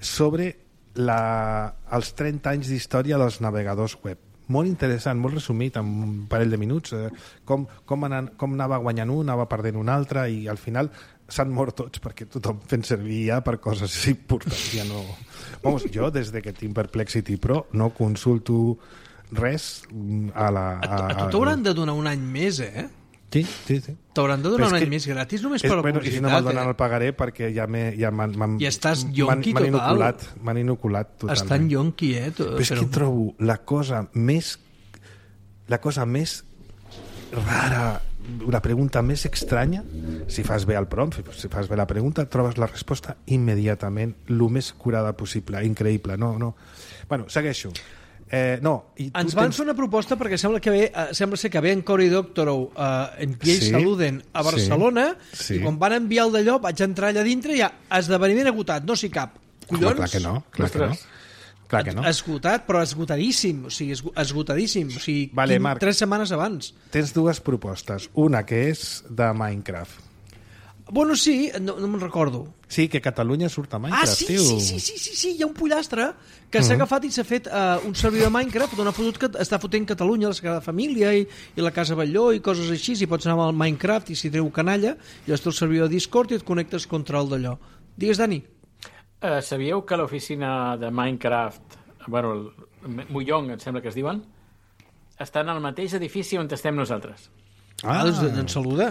Sobre els 30 anys d'història dels navegadors web. Molt interessant, molt resumit, en un parell de minuts, com anava guanyant un, anava perdent un altre, i al final s'han mort tots perquè tothom fent servir ja per coses importants. Ja no... Vamos, jo, des que tinc Perplexity Pro, no consulto res a la... A tu t'hauran de donar un any més, Sí. T'hauran de donar un any més gratis només per la publicitat. I si no me'l donen el pagaré perquè ja estàs yonqui total. M'han inoculat totalment. Estan yonqui, Però és que trobo la cosa més rara, la pregunta més estranya, si fas bé el prompt, si fas bé la pregunta, trobes la resposta immediatament, el més curada possible, increïble. No. Bueno, segueixo. Ens van fer una proposta perquè sembla ser que ve en Cory Doctorow en Piell Saluden a Barcelona, i quan van enviar el d'allò vaig entrar allà dintre i ja esdeveniment agotat, no s'hi cap. Collons? Clar que no. Esgotat, però esgotadíssim, o sigui, esgotadíssim, o sigui, Marc, 3 setmanes abans. Tens dues propostes, una que és de Minecraft. Bueno, sí, no me'n recordo. Sí, que Catalunya surt a Minecraft, tio. Sí, hi ha un pollastre que s'ha agafat i s'ha fet un servidor de Minecraft on ha fotut que està fotent Catalunya, la Sagrada Família i la Casa Batlló i coses així, i pots anar al Minecraft i si treu canalla, llavors té el servidor de Discord i et connectes contra el d'allò. Digues, Dani. Sabíeu que l'oficina de Minecraft, el Muyong, em sembla que es diuen, està en el mateix edifici on estem nosaltres? Doncs ens saluda.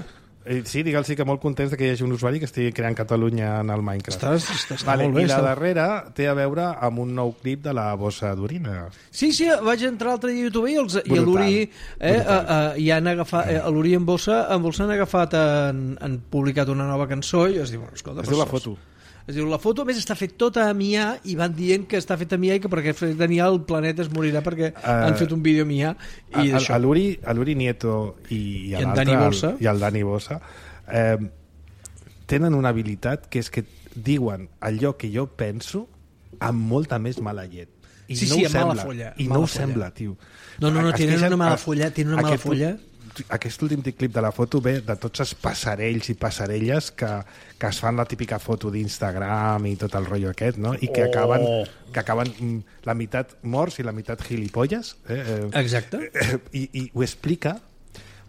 Sí, digue'ls que molt contents que hi hagi un usuari que estigui creant Catalunya en el Minecraft. Està molt bé. I la darrera té a veure amb un nou clip de la bossa d'orina. Sí, vaig entrar l'altre dia a YouTube i l'Uri han agafat, l'Uri en bossa han agafat, han publicat una nova cançó i es diu, escolta, es diu La Foto. Es diu, la foto, a més, està fet tota a MIA i van dient que està fet a MIA i que perquè fet a MIA el planeta es morirà perquè han fet un vídeo a MIA. I a l'Uri Nieto i el Dani Bossa tenen una habilitat que és que diuen allò que jo penso amb molta més mala llet. I no ho sembla, tio. No, tenen una mala folla. Aquest últim clip de la foto ve de tots els passarells i passarelles que es fan la típica foto d'Instagram i tot el rotllo aquest, no? I que acaben la meitat morts i la meitat gilipolles. Exacte. I ho explica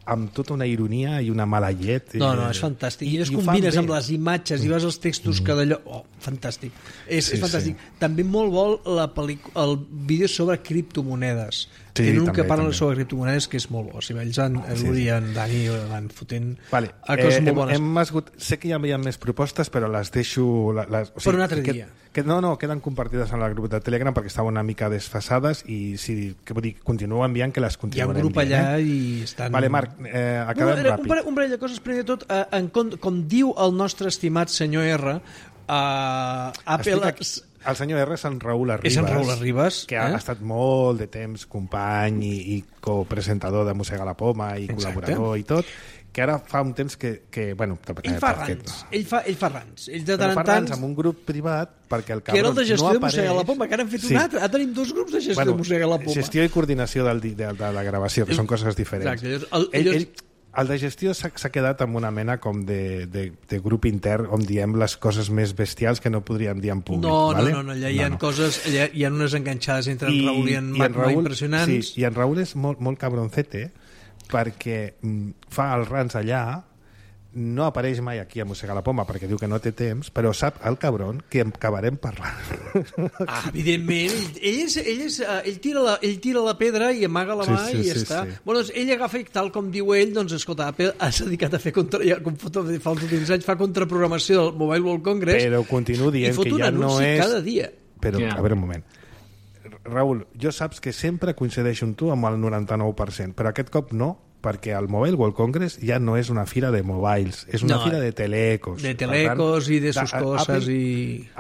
amb tota una ironia i una mala llet. No, és fantàstic. I es combines amb les imatges i veus els textos que d'allò... Oh, fantàstic. És fantàstic. Sí. També molt vol el vídeo sobre criptomonedes. Tenen un que parla sobre criptomonedes que és molt bo. Si ells l'Uri i en Dani van fotent coses molt bones. Sé que ja hi ha més propostes, però les deixo... Per un altre dia. No, queden compartides en el grup de Telegram perquè estaven una mica desfasades i continuo enviant que les continuarem. Hi ha un grup allà i estan... Vale, Marc, acabem ràpid. Un parell de coses. Primer de tot, com diu el nostre estimat senyor R, Apple... El senyor R és en Raül Arribas, que ha estat molt de temps company i copresentador de Mossega la Poma i col·laborador i tot, que ara fa un temps que bueno... Ell fa rants. Ell fa rants. Ell de tant en tant... rants amb un grup privat perquè el cabron no apareix... Que era el de gestió de Mossega la Poma, que ara han fet un altre. Ara tenim dos grups de gestió de Mossega la Poma. Gestió i coordinació de la gravació, que són coses diferents. Exacte. El de gestió s'ha quedat amb una mena com de grup intern on diem les coses més bestials que no podríem dir en públic. No, allà hi ha coses, allà hi ha unes enganxades entre en Raül i en Marc impressionants. Sí, i en Raül és molt cabroncete perquè fa els rants allà, no apareix mai aquí a Mossega la Poma perquè diu que no té temps, però sap el cabron que acabarem parlant. Evidentment, ell tira la pedra i amaga la mà i ja està. Sí. Bueno, doncs ell agafa i tal com diu ell, doncs escolta, Apple s'ha dedicat a fer com fa els últims anys, fa contraprogramació del Mobile World Congress, però continuo dient que ja no és... cada dia. Però, a veure un moment. Raül, jo saps que sempre coincideixo amb tu amb el 99%, però aquest cop no, perquè el Mobile World Congress ja no és una fira de mobiles, és una fira de telecos. De telecos i de sus coses.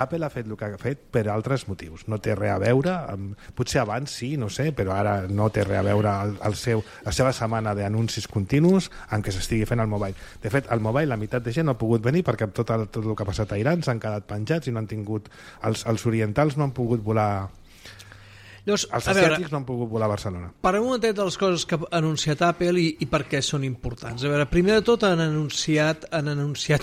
Apple ha fet el que ha fet per altres motius. No té res a veure, potser abans sí, no sé, però ara no té res a veure la seva setmana d'anuncis continus en què s'estigui fent el mobile. De fet, el mobile, la meitat de gent no ha pogut venir perquè tot el que ha passat a Iran s'han quedat penjats i no han tingut... Els orientals no han pogut volar... Els asiàtics no han pogut volar a Barcelona. Parlem un momentet de les coses que ha anunciat Apple i per què són importants. A veure, primer de tot han anunciat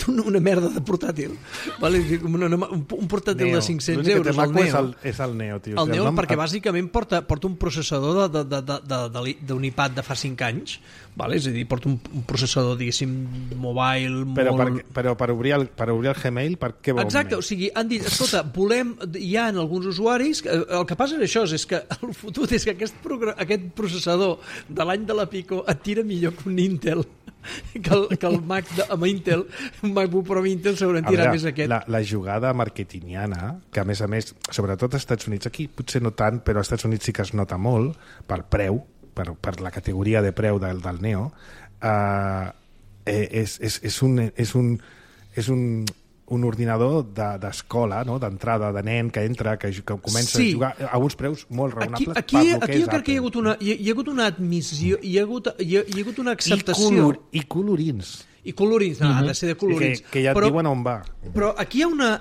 una merda de portàtil. Vale? Un portàtil de 500 euros, el Neo. És el Neo, tio. El Neo perquè bàsicament porta un processador d'un iPad de fa 5 anys, vale? És a dir, porta un processador, diguéssim, mobile... Però per obrir el Gmail, per què vol? Exacte, o sigui, han dit, escolta, hi ha en alguns usuaris... El que passa és això, és que el fotut és que aquest processador de l'any de la Pico et tira millor que un Intel, que el Mac amb Intel, un MacBook Pro amb Intel segurament tira més aquest. La jugada marketingiana, que a més, sobretot als Estats Units, aquí potser no tant, però als Estats Units sí que es nota molt, per preu, per la categoria de preu del Neo, és un ordinador d'escola, no? D'entrada, de nen que entra, que comença a jugar a uns preus molt raonables. Aquí jo crec que hi ha hagut una admissió, hi ha hagut una acceptació. I colorins. I colorins, ha de ser de colorins. Que ja et diuen on va. Però aquí hi ha una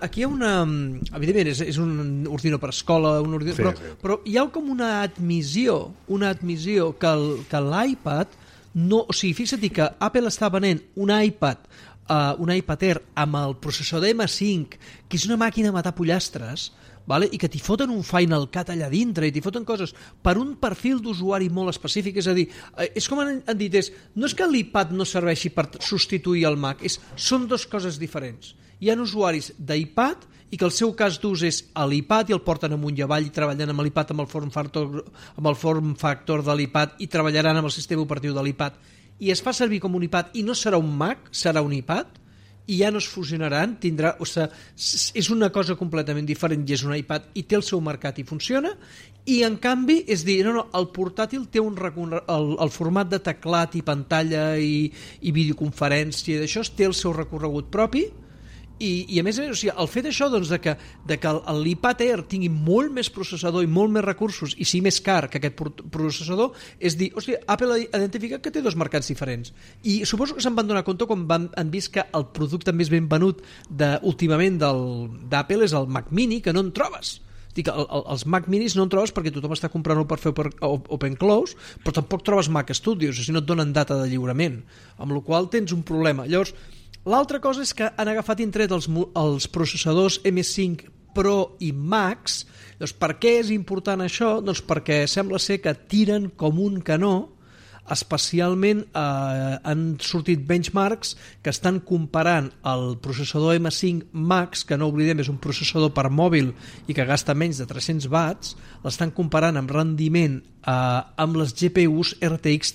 evidentment, és un ordinador per escola, però hi ha com una admissió que l'iPad no... O sigui, fixa't que Apple està venent un iPad Air amb el processador M5, que és una màquina a matar pollastres, vale? I que t'hi foten un Final Cut allà dintre i t'hi foten coses per un perfil d'usuari molt específic. És a dir, és com han dit, no és que l'iPad no serveixi per substituir el Mac, són dues coses diferents. Hi ha usuaris d'iPad i que el seu cas d'ús és a l'iPad i el porten amunt i avall i treballen amb l'iPad amb el form factor de l'iPad i treballaran amb el sistema operatiu de l'iPad i es fa servir com un iPad i no serà un Mac, serà un iPad i ja no es fusionaran, és una cosa completament diferent i és un iPad i té el seu mercat i funciona, i en canvi és dir, el portàtil té el format de teclat i pantalla i videoconferència i d'això té el seu recorregut propi I a més, o sigui, el fet això doncs, de que l'iPad Air tingui molt més processador i molt més recursos i sigui més car que aquest processador és dir, hòstia, Apple ha identificat que té dos mercats diferents i suposo que se'n van donar compte quan han vist que el producte més ben venut últimament d'Apple és el Mac Mini, que no en trobes. Dic, els Mac Minis no en trobes perquè tothom està comprant-ho per fer Open Close, però tampoc trobes Mac Studios, o sigui, no et donen data de lliurament, amb la qual tens un problema. Llavors, l'altra cosa és que han agafat i han tret els processadors M5 Pro i Max. Doncs per què és important això? Doncs perquè sembla ser que tiren com un canó, especialment han sortit benchmarks que estan comparant el processador M5 Max, que no oblidem és un processador per mòbil i que gasta menys de 300 watts, l'estan comparant amb rendiment amb les GPUs RTX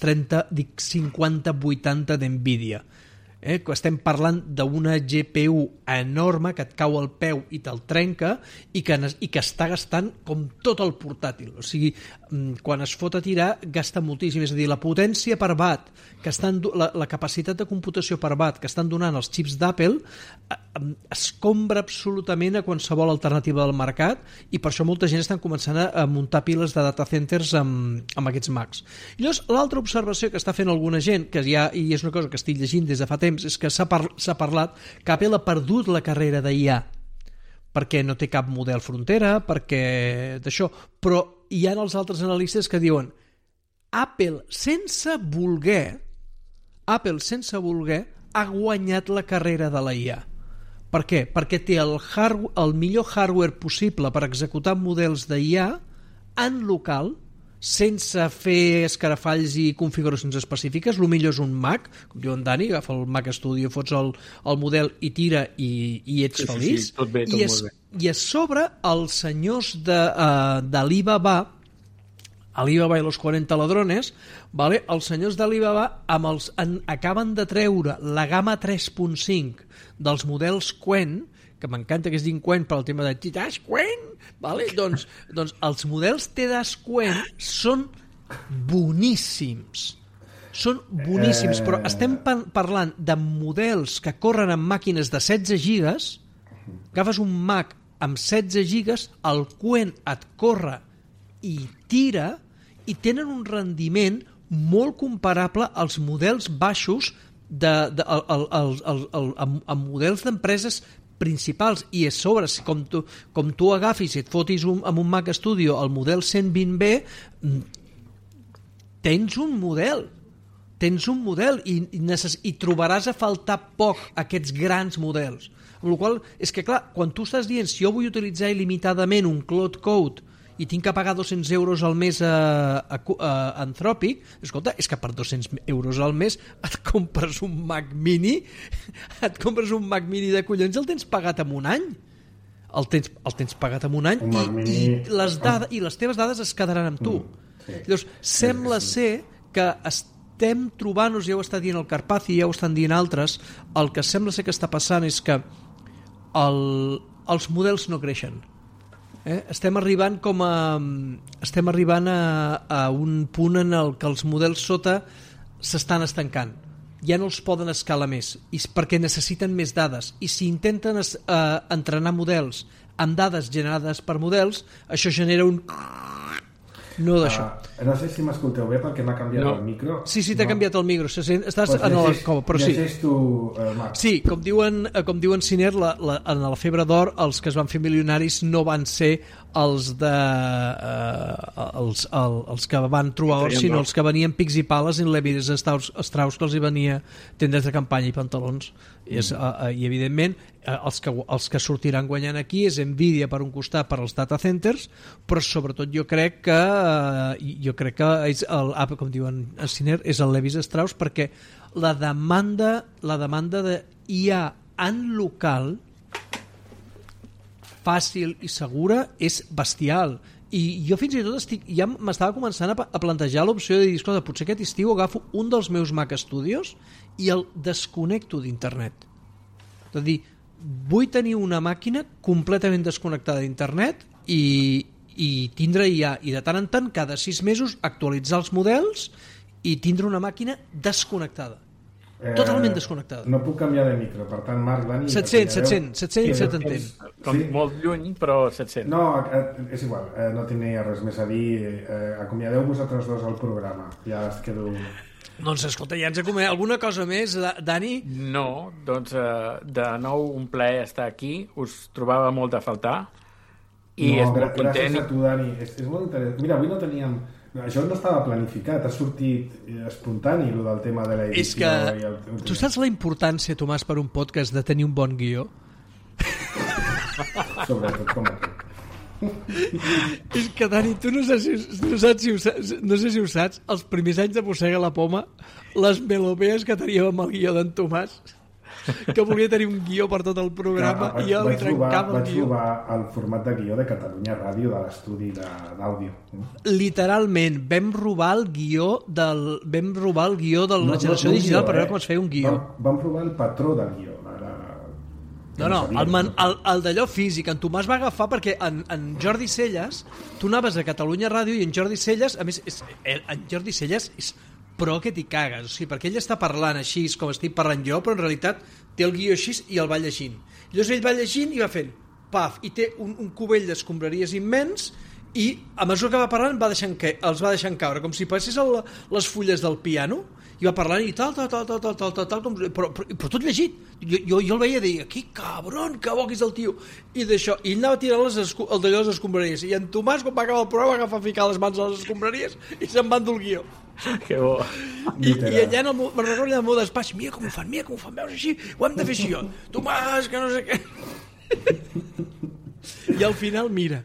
5080 d'NVIDIA. Estem parlant d'una GPU enorme que et cau al peu i te'l trenca i que està gastant com tot el portàtil, o sigui, quan es fot a tirar gasta moltíssim, és a dir, la potència per watt, la capacitat de computació per watt que estan donant els xips d'Apple escombra absolutament a qualsevol alternativa del mercat i per això molta gent està començant a muntar piles de data centers amb aquests Macs. I llavors l'altra observació que està fent alguna gent, que ja, i és una cosa que estic llegint des de fa temps, és que s'ha parlat que Apple ha perdut la carrera d'IA perquè no té cap model frontera, perquè d'això, però hi ha els altres analistes que diuen Apple sense voler ha guanyat la carrera de la IA. Per què? Perquè té el millor hardware possible per executar models d'IA en local, sense fer escarafalls i configuracions específiques. El millor és un Mac, com diu en Dani, agafa el Mac Studio, fots el model i tira i ets feliç. Sí, tot bé, tot molt bé. I a sobre els senyors d'Alibaba i los 40 ladrones, vale? Els senyors d'Alibaba acaben de treure la gamma 3.5 dels models Qwen, que m'encanta que es diguin Qwen per al tema de Tidash Qwen, vale? doncs els models Tidash Qwen són boníssims, però estem parlant de models que corren amb màquines de 16 gigas, agafes un Mac amb 16 gigas, el Qwen et corre i tira i tenen un rendiment molt comparable als models baixos amb models d'empreses principals, i a sobre, com tu agafis i et fotis amb un Mac Studio el model 120B, tens un model i trobaràs a faltar poc aquests grans models, amb la qual cosa és que clar, quan tu estàs dient si jo vull utilitzar il·limitadament un Cloud Code i tinc que pagar 200 euros al mes a Anthropic, escolta, és que per 200 euros al mes et compres un Mac Mini, de collons i el tens pagat en un any. El tens pagat en un any i les teves dades es quedaran amb tu. Llavors, sembla ser que estem trobant-nos, ja ho està dient el Carpazzi, ja ho estan dient altres, el que sembla ser que està passant és que els models no creixen. Estem arribant a un punt en el que els models sota s'estan estancant, ja no els poden escalar més perquè necessiten més dades, i si intenten entrenar models amb dades generades per models, això genera un no d'això. No sé si m'escolteu bé perquè m'ha canviat el micro. Sí, t'ha canviat el micro. Estàs en la cova, però sí. Llegeix tu, Marc. Sí, com diuen Ciner, en la febre d'or els que es van fer milionaris no van ser els que van trobar or, sinó els que venien pics i pales en Levi Strauss, que els hi venia tendes de campanya i pantalons. I evidentment els que sortiran guanyant aquí és Nvidia per un costat, per als data centers, però sobretot jo crec que és com diuen a Ciner, és el Levi Strauss, perquè la demanda de IA en local fàcil i segura és bestial, i jo fins i tot ja m'estava començant a plantejar l'opció de dir, escolta, potser aquest estiu agafo un dels meus Mac Studios i el desconnecto d'internet. És a dir, vull tenir una màquina completament desconnectada d'internet i tindre IA, i de tant en tant, cada 6 mesos, actualitzar els models i tindre una màquina desconnectada. Totalment desconnectada. No puc canviar de micro, per tant, Marc, Dani... 700 se t'entén. Com molt lluny, però 700. No, és igual, no tenia res més a dir. Acomiadeu vosaltres dos al programa. Ja es quedo... Doncs escolta, ja ens acomiadem. Alguna cosa més, Dani? No, doncs de nou un plaer estar aquí. Us trobava molt a faltar. I és molt content. Gràcies a tu, Dani. És molt interessant. Mira, avui no teníem... Això no estava planificat, ha sortit espontani, el del tema de l'edició. És que tu saps la importància, Tomàs, per un podcast de tenir un bon guió? Sobretot com aquest. És que, Dani, tu no sé si ho saps, els primers anys de Mossega la Poma, les melopees que teníem amb el guió d'en Tomàs, que volia tenir un guió per tot el programa, i jo li trencava el guió. Vaig trobar el format de guió de Catalunya Ràdio, de l'estudi d'àudio. Literalment, vam robar el guió de la generació digital per veure com es feia un guió. Vam robar el patró del guió. No, el d'allò físic. En Tomàs va agafar perquè en Jordi Celles, tu anaves a Catalunya Ràdio i en Jordi Celles, a més, en Jordi Celles és pro que t'hi cagues, o sigui, perquè ell està parlant així com estic parlant jo, però en realitat té el guió així i el va llegint. Llavors ell va llegint i va fent paf, i té un cubell d'escombraries immens i a mesura que va parlant els va deixant caure, com si passés les fulles del piano, i va parlant i tal, però tot llegit. Jo el veia dir, que cabron, que bo que és el tio. I d'això, i ell anava tirant el d'allò les escombraries, i en Tomàs, quan va acabar el programa, va agafar a ficar les mans a les escombraries i se'n va endur el guió. Que bo. I allà me'n recordo allà al meu despatx, mira com ho fan, veus així, ho hem de fer així jo. Tomàs, que no sé què. I al final, mira,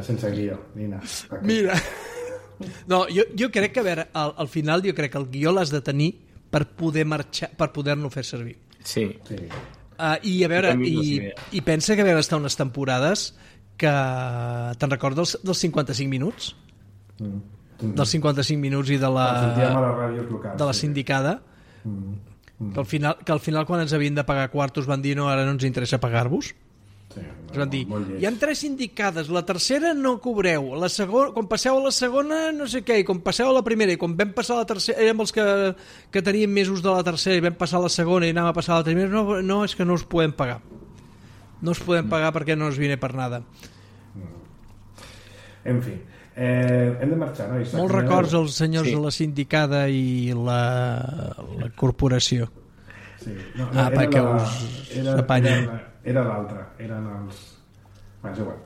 sense guió, mira. No, jo crec que, a veure, al final jo crec que el guió l'has de tenir per poder marxar, per poder-lo fer servir. Sí. I a veure, i pensa que vam estar unes temporades que te'n recordes dels 55 minuts? Dels 55 minuts i de la sindicada, que al final quan ens havien de pagar quartos van dir no, ara no ens interessa pagar-vos. Ens van dir, hi ha 3 sindicades, la tercera no cobreu, la segona, quan passeu a la segona no sé què, i quan passeu a la primera, i quan vam passar a la tercera, érem els que teníem mesos de la tercera i vam passar a la segona i anàvem a passar a la primera, no, és que no us podem pagar. No us podem pagar perquè no us viene per nada. En fi, hem de marxar, no? Molts records als senyors de la sindicada i la corporació. Sí. Perquè us apanyen. Era l'altre, eren els... Bé, és igual,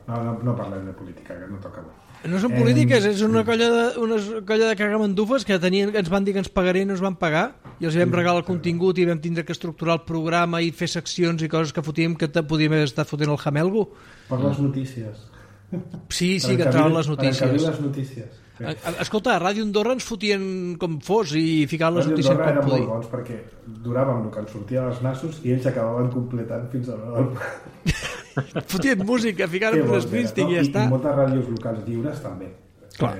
no parlem de política, que no toca bo. No són polítiques, és una colla de cagamandufes que ens van dir que ens pagarien i no ens van pagar, i els vam regalar el contingut i vam tindre que estructurar el programa i fer seccions i coses que fotíem, que podíem haver estat fotent el jamelgo. Per les notícies. Sí, que entraven les notícies. Per encabir les notícies. Escolta, a Ràdio Andorra ens fotien com fos i ficaven les notícies com eren molt bons perquè duràvem el que ens sortia als nassos i ells acabaven completant fins a l'hora del... Fotien música, ficaven un Springsteen i ja està. I moltes ràdios locals lliures també. Clar.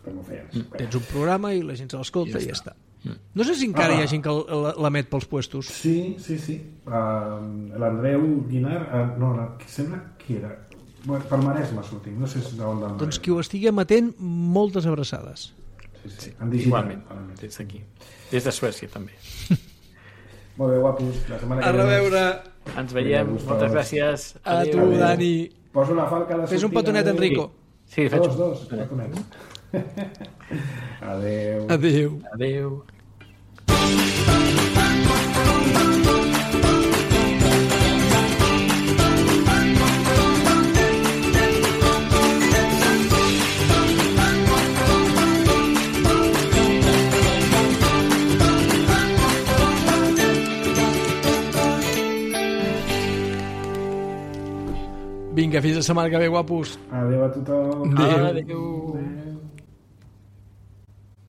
Com ho feien. Tens un programa i la gent se l'escolta i ja està. No sé si encara hi ha gent que l'emet pels puestos. Sí. L'Andreu Guinar, sembla que era... Bueno, per Maresme sortim, no sé d'on d'on. Doncs qui ho estigui emetent, moltes abraçades. Sí. En digital. Igualment, des d'aquí. Des de Suècia, també. Molt bé, guapos. La setmana que ve. A reveure. Ens veiem. Moltes gràcies. A tu, Dani. Poso la falca a la sortida. Fes un petonet, Enrico. Sí, faig dos petonets. Adéu. Adéu. Vinga, fins la setmana que ve, guapos. Adéu a tothom. Adéu.